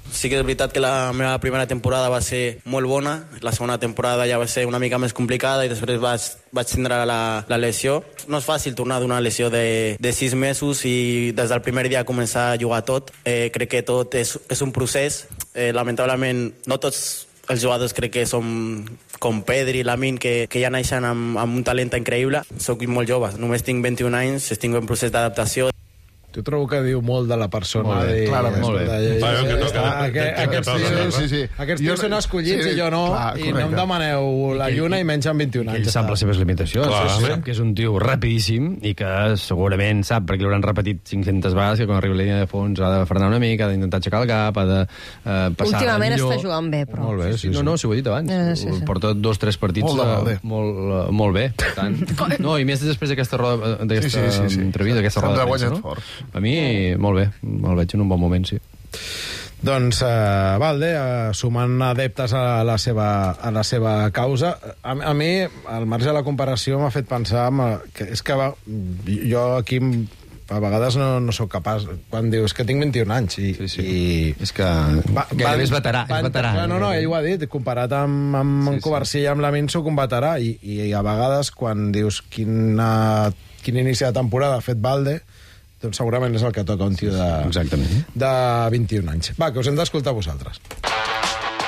[SPEAKER 13] Sí que és veritat que la meva primera temporada va ser molt bona, la segona temporada ja va ser una mica més complicada i després vaig, vaig tindre la, la lesió. No és fàcil tornar d'una lesió de, de sis mesos i des del primer dia començar a jugar tot. Eh, crec que tot és, és un procés. Eh, lamentablement, no tots els jugadors crec que som com Pedri, Lamine, que, que ja naixen amb, amb un talent increïble. Soc molt jove, només tinc vint-i-un anys, estic en procés d'adaptació.
[SPEAKER 2] Jo trobo que diu molt de la persona.
[SPEAKER 10] Molt bé,
[SPEAKER 2] de,
[SPEAKER 10] clarament.
[SPEAKER 2] Molt bé.
[SPEAKER 7] Bueno, que toca,
[SPEAKER 2] aquest, aquests tios, sí, sí. Aquests tios són escollits sí, i jo no, clar, i no em demaneu la lluna i menys amb vint-i-un anys.
[SPEAKER 5] Ell sap les seves limitacions. Clar, sap que és un tio rapidíssim i que segurament sap, perquè l'hauran repetit cinc-centes vegades, que quan arriba la línia de fons ha de frenar una mica, ha d'intentar aixecar el cap, ha de eh, passar
[SPEAKER 4] Últimament
[SPEAKER 5] millor.
[SPEAKER 4] està jugant bé, però.
[SPEAKER 5] Molt bé, sí, sí. No, no, si ho he dit abans. Eh, sí, sí. Porta dos, tres partits molt, uh, molt, uh, molt bé. Per tant, no, i més després d'aquesta roda, d'aquesta sí, sí, sí, sí. entrevista, d'aquesta roda de premsa, no? A mi molt bé, el veig en un bon moment, sí.
[SPEAKER 2] Doncs, uh, Valde, uh, sumant adeptes a la seva, a la seva causa, a, a mi, al marge de la comparació, m'ha fet pensar uh, que és que va, jo aquí a vegades no, no sóc capaç, quan dius que tinc vint-i-un anys i...
[SPEAKER 5] Sí, sí.
[SPEAKER 2] i
[SPEAKER 5] és que va, gairebé és veterà.
[SPEAKER 2] Va,
[SPEAKER 5] és veterà
[SPEAKER 2] clar, no, no, ell ho ha dit, comparat amb, amb sí, Covarsí i amb Lamine sóc un veterà i, i a vegades quan dius quina, quin inici de temporada ha fet Valde, doncs segurament és el que toca un tio de,
[SPEAKER 5] Exactament.
[SPEAKER 2] de vint-i-un anys. Va, que us hem d'escoltar vosaltres.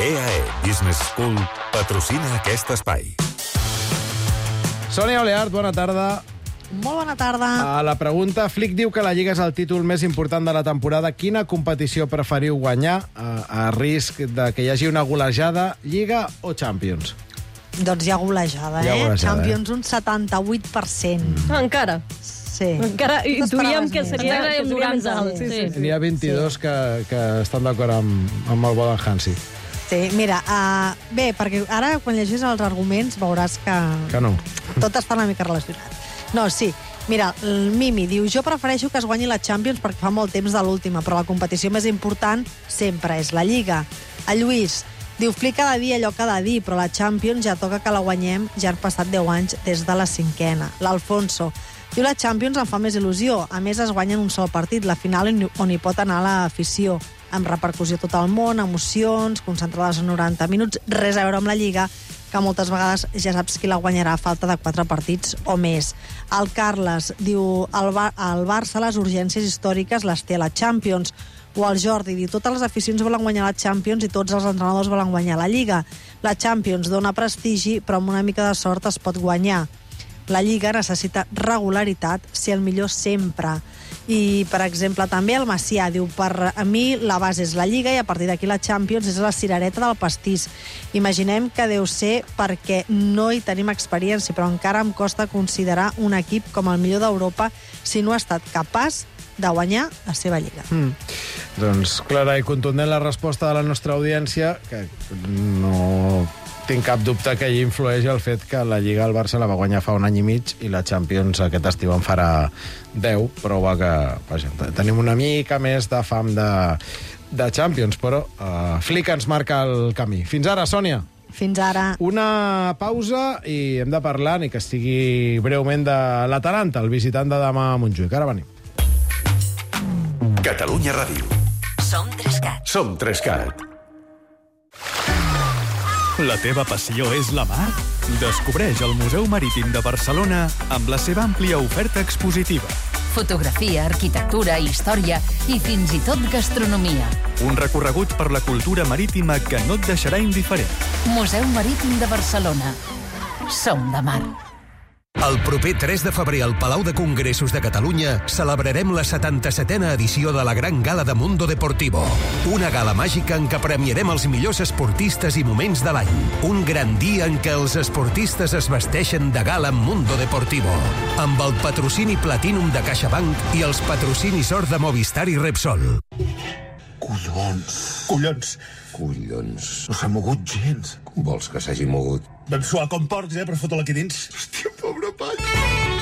[SPEAKER 1] E A E Business School patrocina aquest espai.
[SPEAKER 2] Sònia Oleart, bona tarda.
[SPEAKER 15] Molt bona tarda.
[SPEAKER 2] A la pregunta, Flick diu que la Lliga és el títol més important de la temporada. Quina competició preferiu guanyar a, a risc de que hi hagi una golejada, Lliga o Champions?
[SPEAKER 15] Doncs hi ha golejada,
[SPEAKER 2] hi ha golejada
[SPEAKER 15] eh? Champions
[SPEAKER 2] eh?
[SPEAKER 15] un setanta-vuit per cent.
[SPEAKER 4] Mm. Encara?
[SPEAKER 15] Sí.
[SPEAKER 4] Encara intuïem que seria, que seria més alt.
[SPEAKER 2] Sí, sí, sí. N'hi ha vint-i-dos sí. que, que estan d'acord amb, amb el Bodan Hansi.
[SPEAKER 15] Sí, mira, uh, bé, perquè ara quan llegis els arguments veuràs que...
[SPEAKER 2] Que no.
[SPEAKER 15] Tot està una mica relacionat. No, sí. Mira, el Mimi diu, jo prefereixo que es guanyi la Champions perquè fa molt temps de l'última, però la competició més important sempre és la Lliga. El Lluís diu, Flick ha de dir allò que ha de dir, però la Champions ja toca que la guanyem, ja han passat deu anys des de la cinquena. L'Alfonso diu, la Champions em fa més il·lusió. A més, es guanya en un sol partit, la final on hi pot anar l'afició, amb repercussió a tot el món, emocions, concentrades en noranta minuts, res a veure amb la Lliga, que moltes vegades ja saps qui la guanyarà a falta de quatre partits o més. El Carles diu, el, Bar el Barça les urgències històriques les té a la Champions. O el Jordi diu, totes les aficions volen guanyar la Champions i tots els entrenadors volen guanyar la Lliga. La Champions dona prestigi, però amb una mica de sort es pot guanyar. La Lliga necessita regularitat, ser el millor sempre. I, per exemple, també el Macià diu, per a mi la base és la Lliga i a partir d'aquí la Champions és la cirereta del pastís. Imaginem que deu ser perquè no hi tenim experiència, però encara em costa considerar un equip com el millor d'Europa si no ha estat capaç de guanyar la seva Lliga.
[SPEAKER 2] Mm. Doncs clara i contundent la resposta de la nostra audiència, que no tinc cap dubte que hi influeix el fet que la Lliga al Barça la va guanyar fa un any i mig i la Champions aquest estiu en farà deu, prova que vaja, tenim una mica més de fam de, de Champions, però uh, Flick ens marca el camí. Fins ara, Sònia.
[SPEAKER 15] Fins ara.
[SPEAKER 2] Una pausa i hem de parlar, ni que estigui breument, de l'Atalanta, el visitant de demà a Montjuïc. Ara venim.
[SPEAKER 1] Catalunya Ràdio.
[SPEAKER 16] Som Trescat.
[SPEAKER 1] Som Trescat.
[SPEAKER 17] La teva passió és la mar? Descobreix el Museu Marítim de Barcelona amb la seva àmplia oferta expositiva.
[SPEAKER 16] Fotografia, arquitectura, història i fins i tot gastronomia.
[SPEAKER 17] Un recorregut per la cultura marítima que no et deixarà indiferent.
[SPEAKER 16] Museu Marítim de Barcelona. Som de mar.
[SPEAKER 18] El proper tres de febrer al Palau de Congressos de Catalunya celebrarem la setanta-setena edició de la Gran Gala de Mundo Deportivo. Una gala màgica en què premiarem els millors esportistes i moments de l'any. Un gran dia en què els esportistes es vesteixen de gala amb Mundo Deportivo. Amb el patrocini Platinum de CaixaBank i els patrocinis Or de Movistar i Repsol.
[SPEAKER 19] Collons. Collons. Collons. No s'ha mogut gens. Com vols que s'hagi mogut? Vam suar com porcs, eh, per fotre-la aquí dins. Hòstia, pobre pany.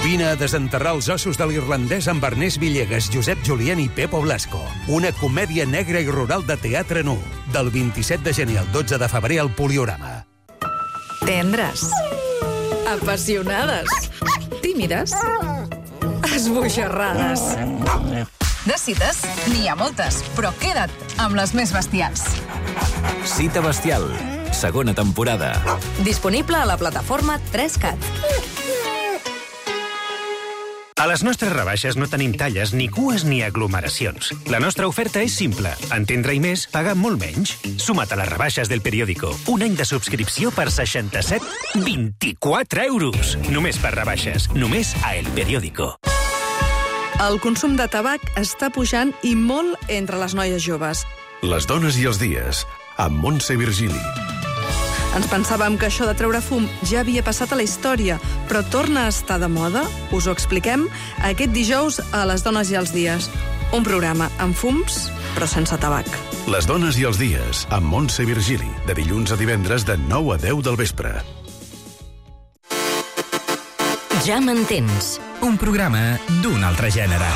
[SPEAKER 18] Vine a desenterrar els ossos de l'irlandès amb Ernest Villegas, Josep Julien i Pepo Blasco. Una comèdia negra i rural de teatre nu. Del vint-i-set de gener al dotze de febrer al Poliorama.
[SPEAKER 20] Tendres. Apassionades. Tímides. Esbojarrades. De cites, n'hi ha moltes, però queda't amb les més bestials.
[SPEAKER 3] Cita bestial, segona temporada.
[SPEAKER 20] Disponible a la plataforma tres cat.
[SPEAKER 21] A les nostres rebaixes no tenim talles, ni cues ni aglomeracions. La nostra oferta és simple. Entendre i més, pagar molt menys. Suma't a les rebaixes del periòdico. Un any de subscripció per seixanta-set coma vint-i-quatre euros. Només per rebaixes. Només a El Periódico.
[SPEAKER 20] El consum de tabac està pujant i molt entre les noies joves.
[SPEAKER 1] Les dones i els dies, amb Montse Virgili.
[SPEAKER 20] Ens pensàvem que això de treure fum ja havia passat a la història, però torna a estar de moda? Us ho expliquem aquest dijous a Les dones i els dies. Un programa amb fums, però sense tabac.
[SPEAKER 1] Les dones i els dies, amb Montse Virgili, de dilluns a divendres de nou a deu del vespre.
[SPEAKER 22] Ja m'entens. Un programa d'un altre gènere.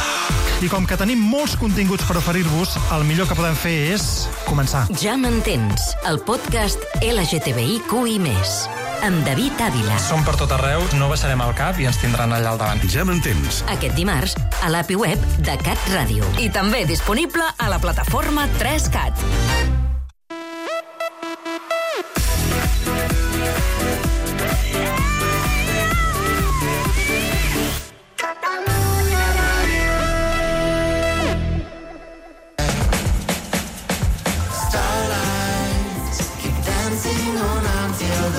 [SPEAKER 23] I com que tenim molts continguts per oferir-vos, el millor que podem fer és començar.
[SPEAKER 22] Ja m'entens. El podcast L G T B I Q I més. Amb David Ávila.
[SPEAKER 23] Som per tot arreu, no baixarem el cap i ens tindran allà al davant.
[SPEAKER 1] Ja m'entens.
[SPEAKER 22] Aquest dimarts a l'A P I web de Cat Ràdio.
[SPEAKER 20] I també disponible a la plataforma tres cat.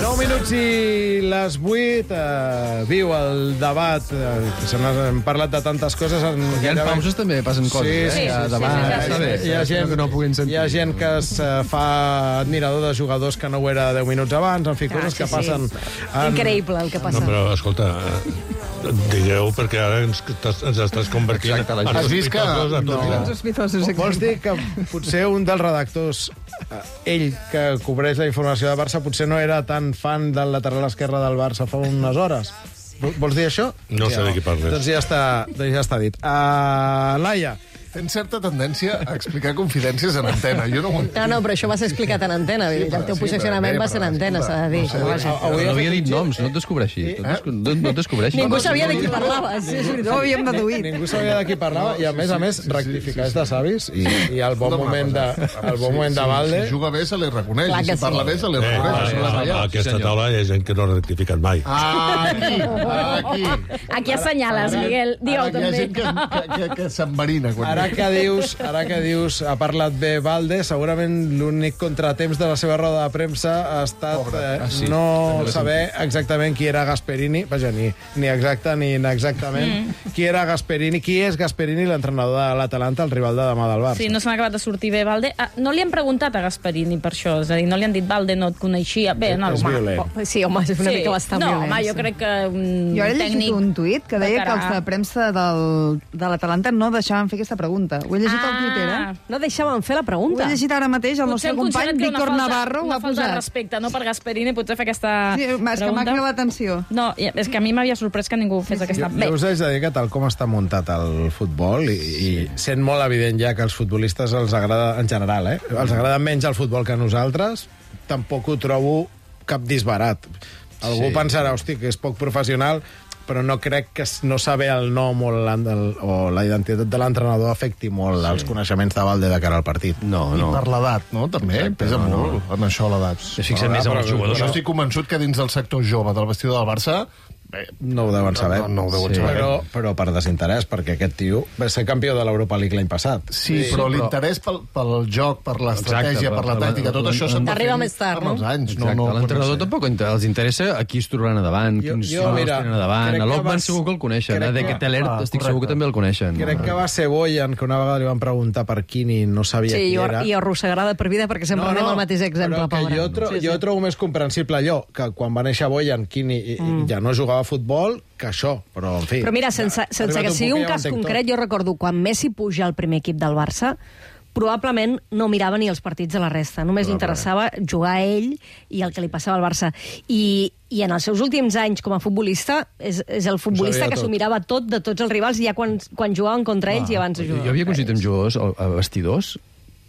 [SPEAKER 2] nou minuts i les vuit. Eh, viu el debat. Eh, que se n'han parlat de tantes coses. En
[SPEAKER 5] Hi ha pauses també passen coses,
[SPEAKER 2] sí,
[SPEAKER 5] eh?
[SPEAKER 2] sí,
[SPEAKER 5] Hi ha
[SPEAKER 2] sí,
[SPEAKER 5] debat,
[SPEAKER 2] sí, sí,
[SPEAKER 5] està bé.
[SPEAKER 2] sí, hi ha gent
[SPEAKER 5] que no puguin sentir.
[SPEAKER 2] Hi ha gent que es eh, fa admirador de jugadors que no ho era deu minuts abans, en fi,
[SPEAKER 4] Ah,
[SPEAKER 2] coses
[SPEAKER 4] sí,
[SPEAKER 2] que
[SPEAKER 4] sí.
[SPEAKER 2] passen... En...
[SPEAKER 4] Increïble el que passa.
[SPEAKER 7] No, però, escolta, eh, digueu, perquè ara ens, ens estàs convertint
[SPEAKER 2] Exacte, la
[SPEAKER 7] en
[SPEAKER 2] Has vist que-
[SPEAKER 7] sospitosos a tots.
[SPEAKER 2] no.
[SPEAKER 7] ja.
[SPEAKER 9] Sospitosos,
[SPEAKER 2] Vols dir que potser un dels redactors, eh, ell que cobreix la informació de Barça, potser no era tan fan del lateral esquerre del Barça fa unes hores? Vols dir això?
[SPEAKER 7] No sé de qui parles.
[SPEAKER 2] Doncs ja està, doncs ja està dit. Uh, Laia.
[SPEAKER 10] Tens certa tendència a explicar confidències en antena. Jo no ho entenc.
[SPEAKER 4] No, no, però això va ser explicat en antena. Sí, el teu
[SPEAKER 10] sí,
[SPEAKER 4] posicionament
[SPEAKER 10] però,
[SPEAKER 4] va ser en antena,
[SPEAKER 10] escolta,
[SPEAKER 4] s'ha de dir.
[SPEAKER 10] no sé,
[SPEAKER 4] Vaja.
[SPEAKER 5] Avui no havia dit noms, no et descobreixis. No et desco- no, no et descobreixis.
[SPEAKER 4] Ningú sabia de qui parlaves. Sí, és veritat.
[SPEAKER 9] No ho havíem deduït.
[SPEAKER 2] Ningú sabia de qui parlava i, a més a més, rectificar és de savis i, i el bon moment de, el bon moment de Valde...
[SPEAKER 10] Si juga bé, se li reconeix.
[SPEAKER 4] Clar
[SPEAKER 10] I
[SPEAKER 4] que
[SPEAKER 10] si parla
[SPEAKER 4] sí.
[SPEAKER 10] bé, se li
[SPEAKER 7] Eh,
[SPEAKER 10] reconeix.
[SPEAKER 7] a,
[SPEAKER 10] Això és
[SPEAKER 7] a,
[SPEAKER 10] allà.
[SPEAKER 7] a aquesta taula hi ha gent que no ha rectificat mai.
[SPEAKER 10] Ah, aquí, aquí.
[SPEAKER 6] Aquí assenyales, Miguel.
[SPEAKER 10] Ara
[SPEAKER 6] Digue-ho
[SPEAKER 10] que hi ha
[SPEAKER 6] també.
[SPEAKER 10] gent que, que, que, que s'enverina. Quan...
[SPEAKER 2] Ara que dius, ara que dius, ha parlat bé Valde, segurament l'únic contratemps de la seva roda de premsa ha estat eh,
[SPEAKER 5] Ah, sí.
[SPEAKER 2] no
[SPEAKER 5] També
[SPEAKER 2] saber exactament qui era Gasperini, vaja, ni, ni exacte ni inexactament,
[SPEAKER 6] Mm.
[SPEAKER 2] qui era Gasperini, qui és Gasperini, l'entrenador de l'Atalanta, el rival de demà del Barça.
[SPEAKER 6] Sí, no se n'ha acabat de sortir bé, Valde. Ah, no li han preguntat a Gasperini per això, és a dir, no li han dit, Valde, no et coneixia. Bé, no,
[SPEAKER 2] És
[SPEAKER 6] home.
[SPEAKER 2] violent.
[SPEAKER 4] Sí, home, és una
[SPEAKER 6] Sí.
[SPEAKER 4] mica bastant
[SPEAKER 6] no,
[SPEAKER 4] violent.
[SPEAKER 6] home, jo crec que un
[SPEAKER 9] Jo he llegit
[SPEAKER 6] tècnic...
[SPEAKER 9] un tuit que deia
[SPEAKER 6] de
[SPEAKER 9] que els de
[SPEAKER 6] cara-
[SPEAKER 9] premsa del, de l'Atalanta no deixaven fer aquesta pregunta. Ho he llegit al Twitter, eh?
[SPEAKER 4] Ah, no deixaven fer la
[SPEAKER 9] Ho
[SPEAKER 4] pregunta.
[SPEAKER 9] he llegit ara mateix, el nostre
[SPEAKER 6] Potser han
[SPEAKER 9] company
[SPEAKER 6] considerat que
[SPEAKER 9] Víctor
[SPEAKER 6] una falta,
[SPEAKER 9] Navarro ho
[SPEAKER 6] una
[SPEAKER 9] ha
[SPEAKER 6] falta de
[SPEAKER 9] posat.
[SPEAKER 6] respecte, no per Gasperini, potser fer aquesta
[SPEAKER 9] Sí, és que m'ha
[SPEAKER 6] pregunta.
[SPEAKER 9] cridat l'atenció.
[SPEAKER 6] No, i- és que a mi m'havia sorprès que ningú fes aquesta...
[SPEAKER 2] Jo,
[SPEAKER 6] Bé,
[SPEAKER 2] jo us haig de dir que tal com està muntat el futbol i, i sent molt evident ja que als futbolistes els agrada, en general, eh? els agrada menys el futbol que a nosaltres, tampoc ho trobo cap disbarat. Algú
[SPEAKER 5] Sí.
[SPEAKER 2] pensarà, hosti, que és poc professional, però no crec que no saber el nom o, el, o la identitat de l'entrenador afecti molt sí. els coneixements de Valde de cara al partit.
[SPEAKER 5] No,
[SPEAKER 10] I
[SPEAKER 5] no.
[SPEAKER 10] per l'edat, no? També
[SPEAKER 2] Exacte,
[SPEAKER 10] pesa
[SPEAKER 2] no, no.
[SPEAKER 10] molt en això l'edat.
[SPEAKER 5] Es fixen més en els jugadors.
[SPEAKER 10] Jo estic convençut que dins del sector jove del vestidor del Barça
[SPEAKER 2] no ho deuen saber.
[SPEAKER 10] No, no ho deuen
[SPEAKER 2] sí.
[SPEAKER 10] saber.
[SPEAKER 2] Però, però per desinterès, perquè aquest tio va ser campió de l'Europa League l'any passat.
[SPEAKER 10] Sí, sí però, però l'interès pel, pel joc, per l'estratègia, per la tàctica, tot això s'ha de fer amb els anys.
[SPEAKER 5] No, no, l'entrenador tampoc els interessa a qui es trobaran a davant, quins jugadors tenen a davant. A l'Otman segur que el coneixen, a De Ketelaere estic segur que també el coneixen.
[SPEAKER 2] Crec que va ser Boyan, que una vegada li van preguntar per Quini, no sabia
[SPEAKER 4] sí,
[SPEAKER 2] qui era.
[SPEAKER 4] Sí, i arrossegarà de per vida, perquè sempre anem al mateix exemple, pobre.
[SPEAKER 2] Jo, tro sí, sí. jo trobo més comprensible allò, que quan va néixer Boyan, Quini mm. ja no jugava a futbol, que això, però en fi...
[SPEAKER 4] Però mira, sense, sense que sigui un cas concret, jo recordo, quan Messi puja al primer equip del Barça, probablement no mirava ni els partits de la resta, només li interessava jugar a ell i el que li passava al Barça. I, i en els seus últims anys com a futbolista, és, és el futbolista que s'ho mirava tot de tots els rivals, ja quan, quan jugaven contra ells ah, i abans de jugar.
[SPEAKER 5] Jo havia coincidit amb jugadors a vestidors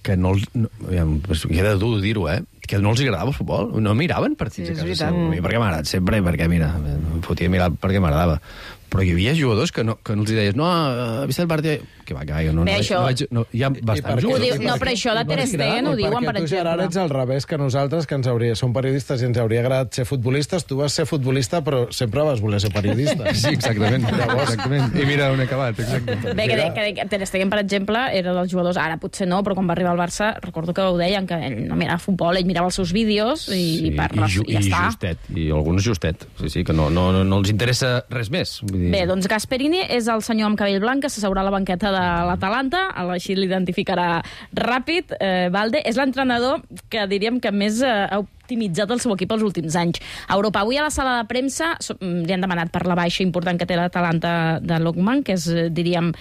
[SPEAKER 5] que no els... No, hi ha de dur dir-ho, eh? Que no els agradava el futbol. No miraven partits sí, a casa seu. Perquè m'ha agradat sempre, perquè, mira, em fotia mirar perquè m'agradava. Però hi havia jugadors que no, que no els deies no, ha vist el partit... Que va, que no, no,
[SPEAKER 6] Bé, això...
[SPEAKER 5] no, vaig, no, hi ha bastants jugadors.
[SPEAKER 6] No, però això de Ter Stegen ho diuen, per exemple.
[SPEAKER 2] Perquè tu, Gerard, ets al revés que nosaltres, que ens hauria, som periodistes i ens hauria agradat ser futbolistes. Tu vas ser futbolista, però sempre vas voler ser periodista.
[SPEAKER 5] Sí, exactament. exactament. I mira on he acabat. Exactament.
[SPEAKER 6] Bé, que, que Ter Stegen, per exemple, era dels jugadors, ara potser no, però quan va arribar al Barça, recordo que ho deien, que ell no mirava futbol, ell mirava els seus vídeos i, sí, per,
[SPEAKER 5] i, ju,
[SPEAKER 6] i ja
[SPEAKER 5] i
[SPEAKER 6] està.
[SPEAKER 5] Justet, i alguns justet. Sí, sí, que no, no, no, no els interessa res més. Vull dir...
[SPEAKER 6] Bé, doncs Gasperini és el senyor amb cabell blanc que s'asseurà a la banqueta de l'Atalanta, així l'identificarà ràpid. Eh, Valde és l'entrenador que diríem que més eh, ha optimitzat el seu equip els últims anys. A Europa, avui a la sala de premsa li han demanat per la baixa important que té l'Atalanta de Lookman, que és, diríem,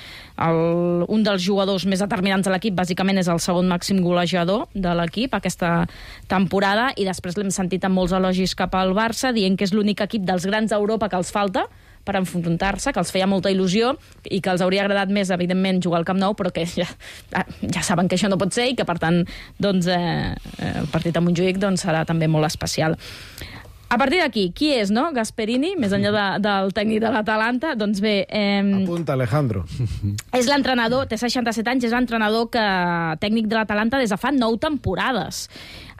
[SPEAKER 6] el, un dels jugadors més determinants de l'equip, bàsicament és el segon màxim golejador de l'equip aquesta temporada, i després l'hem sentit amb molts elogis cap al Barça, dient que és l'únic equip dels grans d'Europa que els falta per enfrontar-se, que els feia molta il·lusió i que els hauria agradat més, evidentment, jugar al Camp Nou, però que ja, ja saben que això no pot ser i que, per tant, doncs, eh, el partit a Montjuïc doncs, serà també molt especial. A partir d'aquí, qui és, no? Gasperini, més enllà de, del tècnic de l'Atalanta? Doncs bé... Eh,
[SPEAKER 2] Apunta, Alejandro.
[SPEAKER 6] És l'entrenador, té seixanta-set anys, és l'entrenador que, tècnic de l'Atalanta des de fa nou temporades.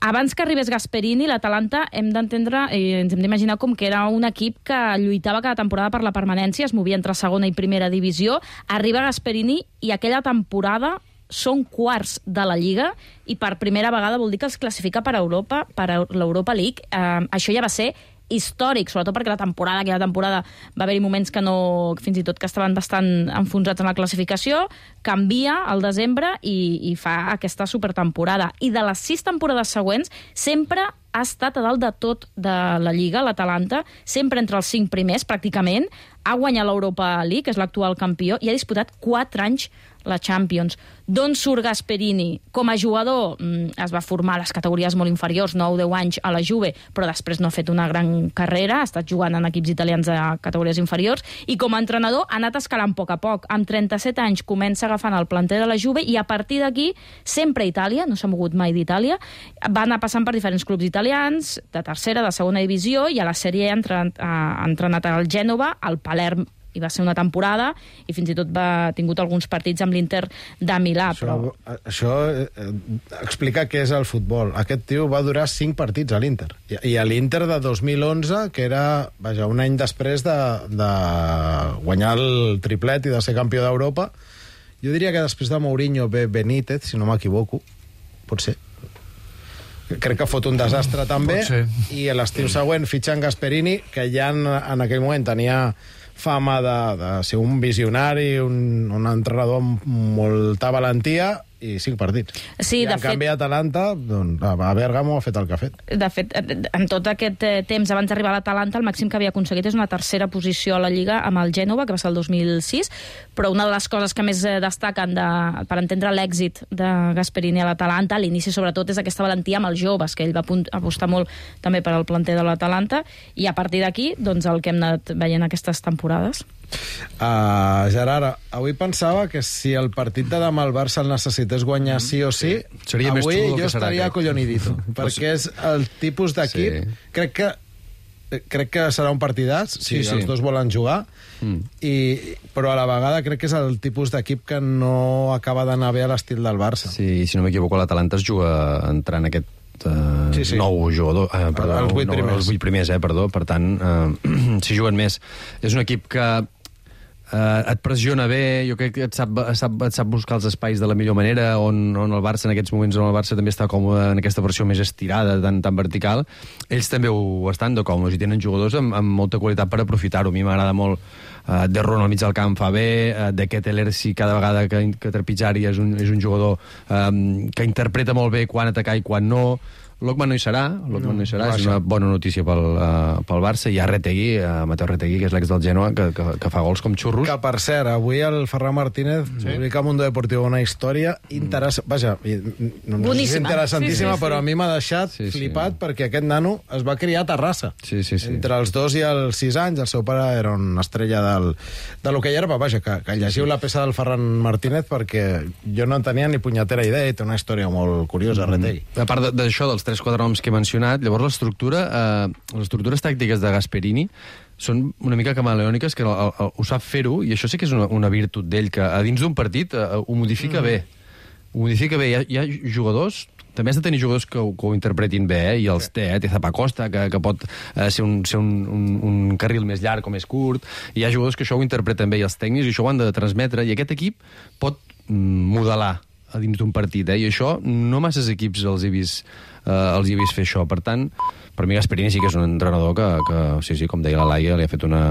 [SPEAKER 6] Abans que arribés Gasperini, l'Atalanta hem d'entendre i ens hem d'imaginar com que era un equip que lluitava cada temporada per la permanència, es movia entre segona i primera divisió. Arriba Gasperini i aquella temporada són quarts de la Lliga i per primera vegada vol dir que els classifica per Europa, per l'Europa League. Eh, això ja va ser històric, sobretot perquè la temporada, aquella temporada va haver-hi moments que no, fins i tot que estaven bastant enfonsats en la classificació, canvia al desembre i, i fa aquesta supertemporada. I de les sis temporades següents sempre ha estat a dalt de tot de la Lliga, l'Atalanta, sempre entre els cinc primers, pràcticament, ha guanyat l'Europa League, que és l'actual campió, i ha disputat quatre anys la Champions. D'on surt Gasperini? Com a jugador es va formar a les categories molt inferiors, nou deu anys a la Juve, però després no ha fet una gran carrera, ha estat jugant en equips italians de categories inferiors, i com a entrenador ha anat escalant a poc a poc. Amb trenta-set anys comença agafant el planter de la Juve i a partir d'aquí sempre a Itàlia, no s'ha mogut mai d'Itàlia, va anar passant per diferents clubs italians, de tercera, de segona divisió, i a la Sèrie ha entrenat, ha entrenat al Gènova, al Palerm, i va ser una temporada, i fins i tot va tingut alguns partits amb l'Inter de Milà.
[SPEAKER 2] Això,
[SPEAKER 6] però...
[SPEAKER 2] això eh, explica què és el futbol. Aquest tio va durar cinc partits a l'Inter. I, i a l'Inter de dos mil onze, que era vaja, un any després de, de guanyar el triplet i de ser campió d'Europa, jo diria que després de Mourinho ve Benítez, si no m'equivoco, pot ser. Crec que fot un desastre també, i l'estiu següent fitxen Gasperini, que ja en, en aquell moment tenia fama de, de ser un visionari, un, un entrenador amb molta valentia, i cinc partits.
[SPEAKER 6] Sí,
[SPEAKER 2] I en
[SPEAKER 6] fet...
[SPEAKER 2] canvi Atalanta, doncs, a Bèrgamo ha fet el que ha fet.
[SPEAKER 6] De fet, en tot aquest temps abans d'arribar a l'Atalanta, el màxim que havia aconseguit és una tercera posició a la Lliga amb el Gènova, que va ser el dos mil sis, però una de les coses que més destaquen de, per entendre l'èxit de Gasperini a l'Atalanta, a l'inici sobretot, és aquesta valentia amb els joves, que ell va apostar molt també per al planter de l'Atalanta, i a partir d'aquí, doncs, el que hem anat veient aquestes temporades.
[SPEAKER 2] Uh, Gerard, avui pensava que si el partit de demà el Barça el necessités guanyar sí o sí,
[SPEAKER 5] seria
[SPEAKER 2] avui
[SPEAKER 5] més xulo
[SPEAKER 2] jo
[SPEAKER 5] que serà,
[SPEAKER 2] estaria acollonidito, perquè és el tipus d'equip, sí. crec que crec que serà un partidàs, sí, si sí. els dos volen jugar, mm. i, però a la vegada crec que és el tipus d'equip que no acaba d'anar bé a l'estil del Barça.
[SPEAKER 5] Sí, si no m'equivoco, l'Atalanta es juga entrant aquest eh,
[SPEAKER 2] Sí, sí.
[SPEAKER 5] nou jugadors, eh, perdó,
[SPEAKER 2] Els vuit
[SPEAKER 5] nou,
[SPEAKER 2] primers.
[SPEAKER 5] els vuit primers, eh, perdó, per tant, eh, si juguen més. És un equip que eh, et pressiona bé, jo crec que et sap, et, sap, et sap buscar els espais de la millor manera, on, on el Barça, en aquests moments, on el Barça també està còmode en aquesta versió més estirada, tan, tan vertical, ells també ho estan de còmodes i tenen jugadors amb, amb molta qualitat per aprofitar-ho. A mi m'agrada molt uh, De Ron al mig del camp fa bé, uh, de Ketteler sí, cada vegada que, que trepitjari és un, és un jugador um, que interpreta molt bé quan atacar i quan no. Lokman no hi serà, Lokman no, no hi serà, és una bona notícia pel, uh, pel Barça. Hi ha Retegui, uh, Mateu Retegui, que és l'ex del Genoa, que, que, que fa gols com xurros.
[SPEAKER 2] Que, per cert, avui el Ferran Martínez sí. publica a Mundo Deportivo una història interessant. Vaja, no, no és interessantíssima, sí, sí, sí. però a mi m'ha deixat sí, sí. flipat perquè aquest nano es va criar a Terrassa.
[SPEAKER 5] Sí, sí, sí.
[SPEAKER 2] Entre els dos i els sis anys, el seu pare era una estrella del, de l'hoquei herba. Vaja, que, que llegiu la peça del Ferran Martínez perquè jo no en tenia ni punyetera idea i té una història molt curiosa, mm. Retegui.
[SPEAKER 5] A part d'això, dels tres quatre noms que he mencionat, llavors l'estructura, eh, les estructures tàctiques de Gasperini són una mica camaleòniques, que el, el, el, ho sap fer-ho, i això sí que és una, una virtut d'ell, que a dins d'un partit eh, ho modifica mm. bé. Ho modifica bé. Hi ha, hi ha jugadors, també has de tenir jugadors que ho, que ho interpretin bé, eh? I els té, eh? Té Zapacosta, que, que pot eh, ser, un, ser un, un, un carril més llarg o més curt, i hi ha jugadors que això ho interpreten bé, i els tècnics, i això ho han de transmetre, i aquest equip pot mm, modelar a dins d'un partit, eh? I això no masses equips els he vist, eh, els he vist fer això. Per tant, per mi Gasperini sí que és un entrenador que, que sí, sí, com deia la Laia, li ha fet una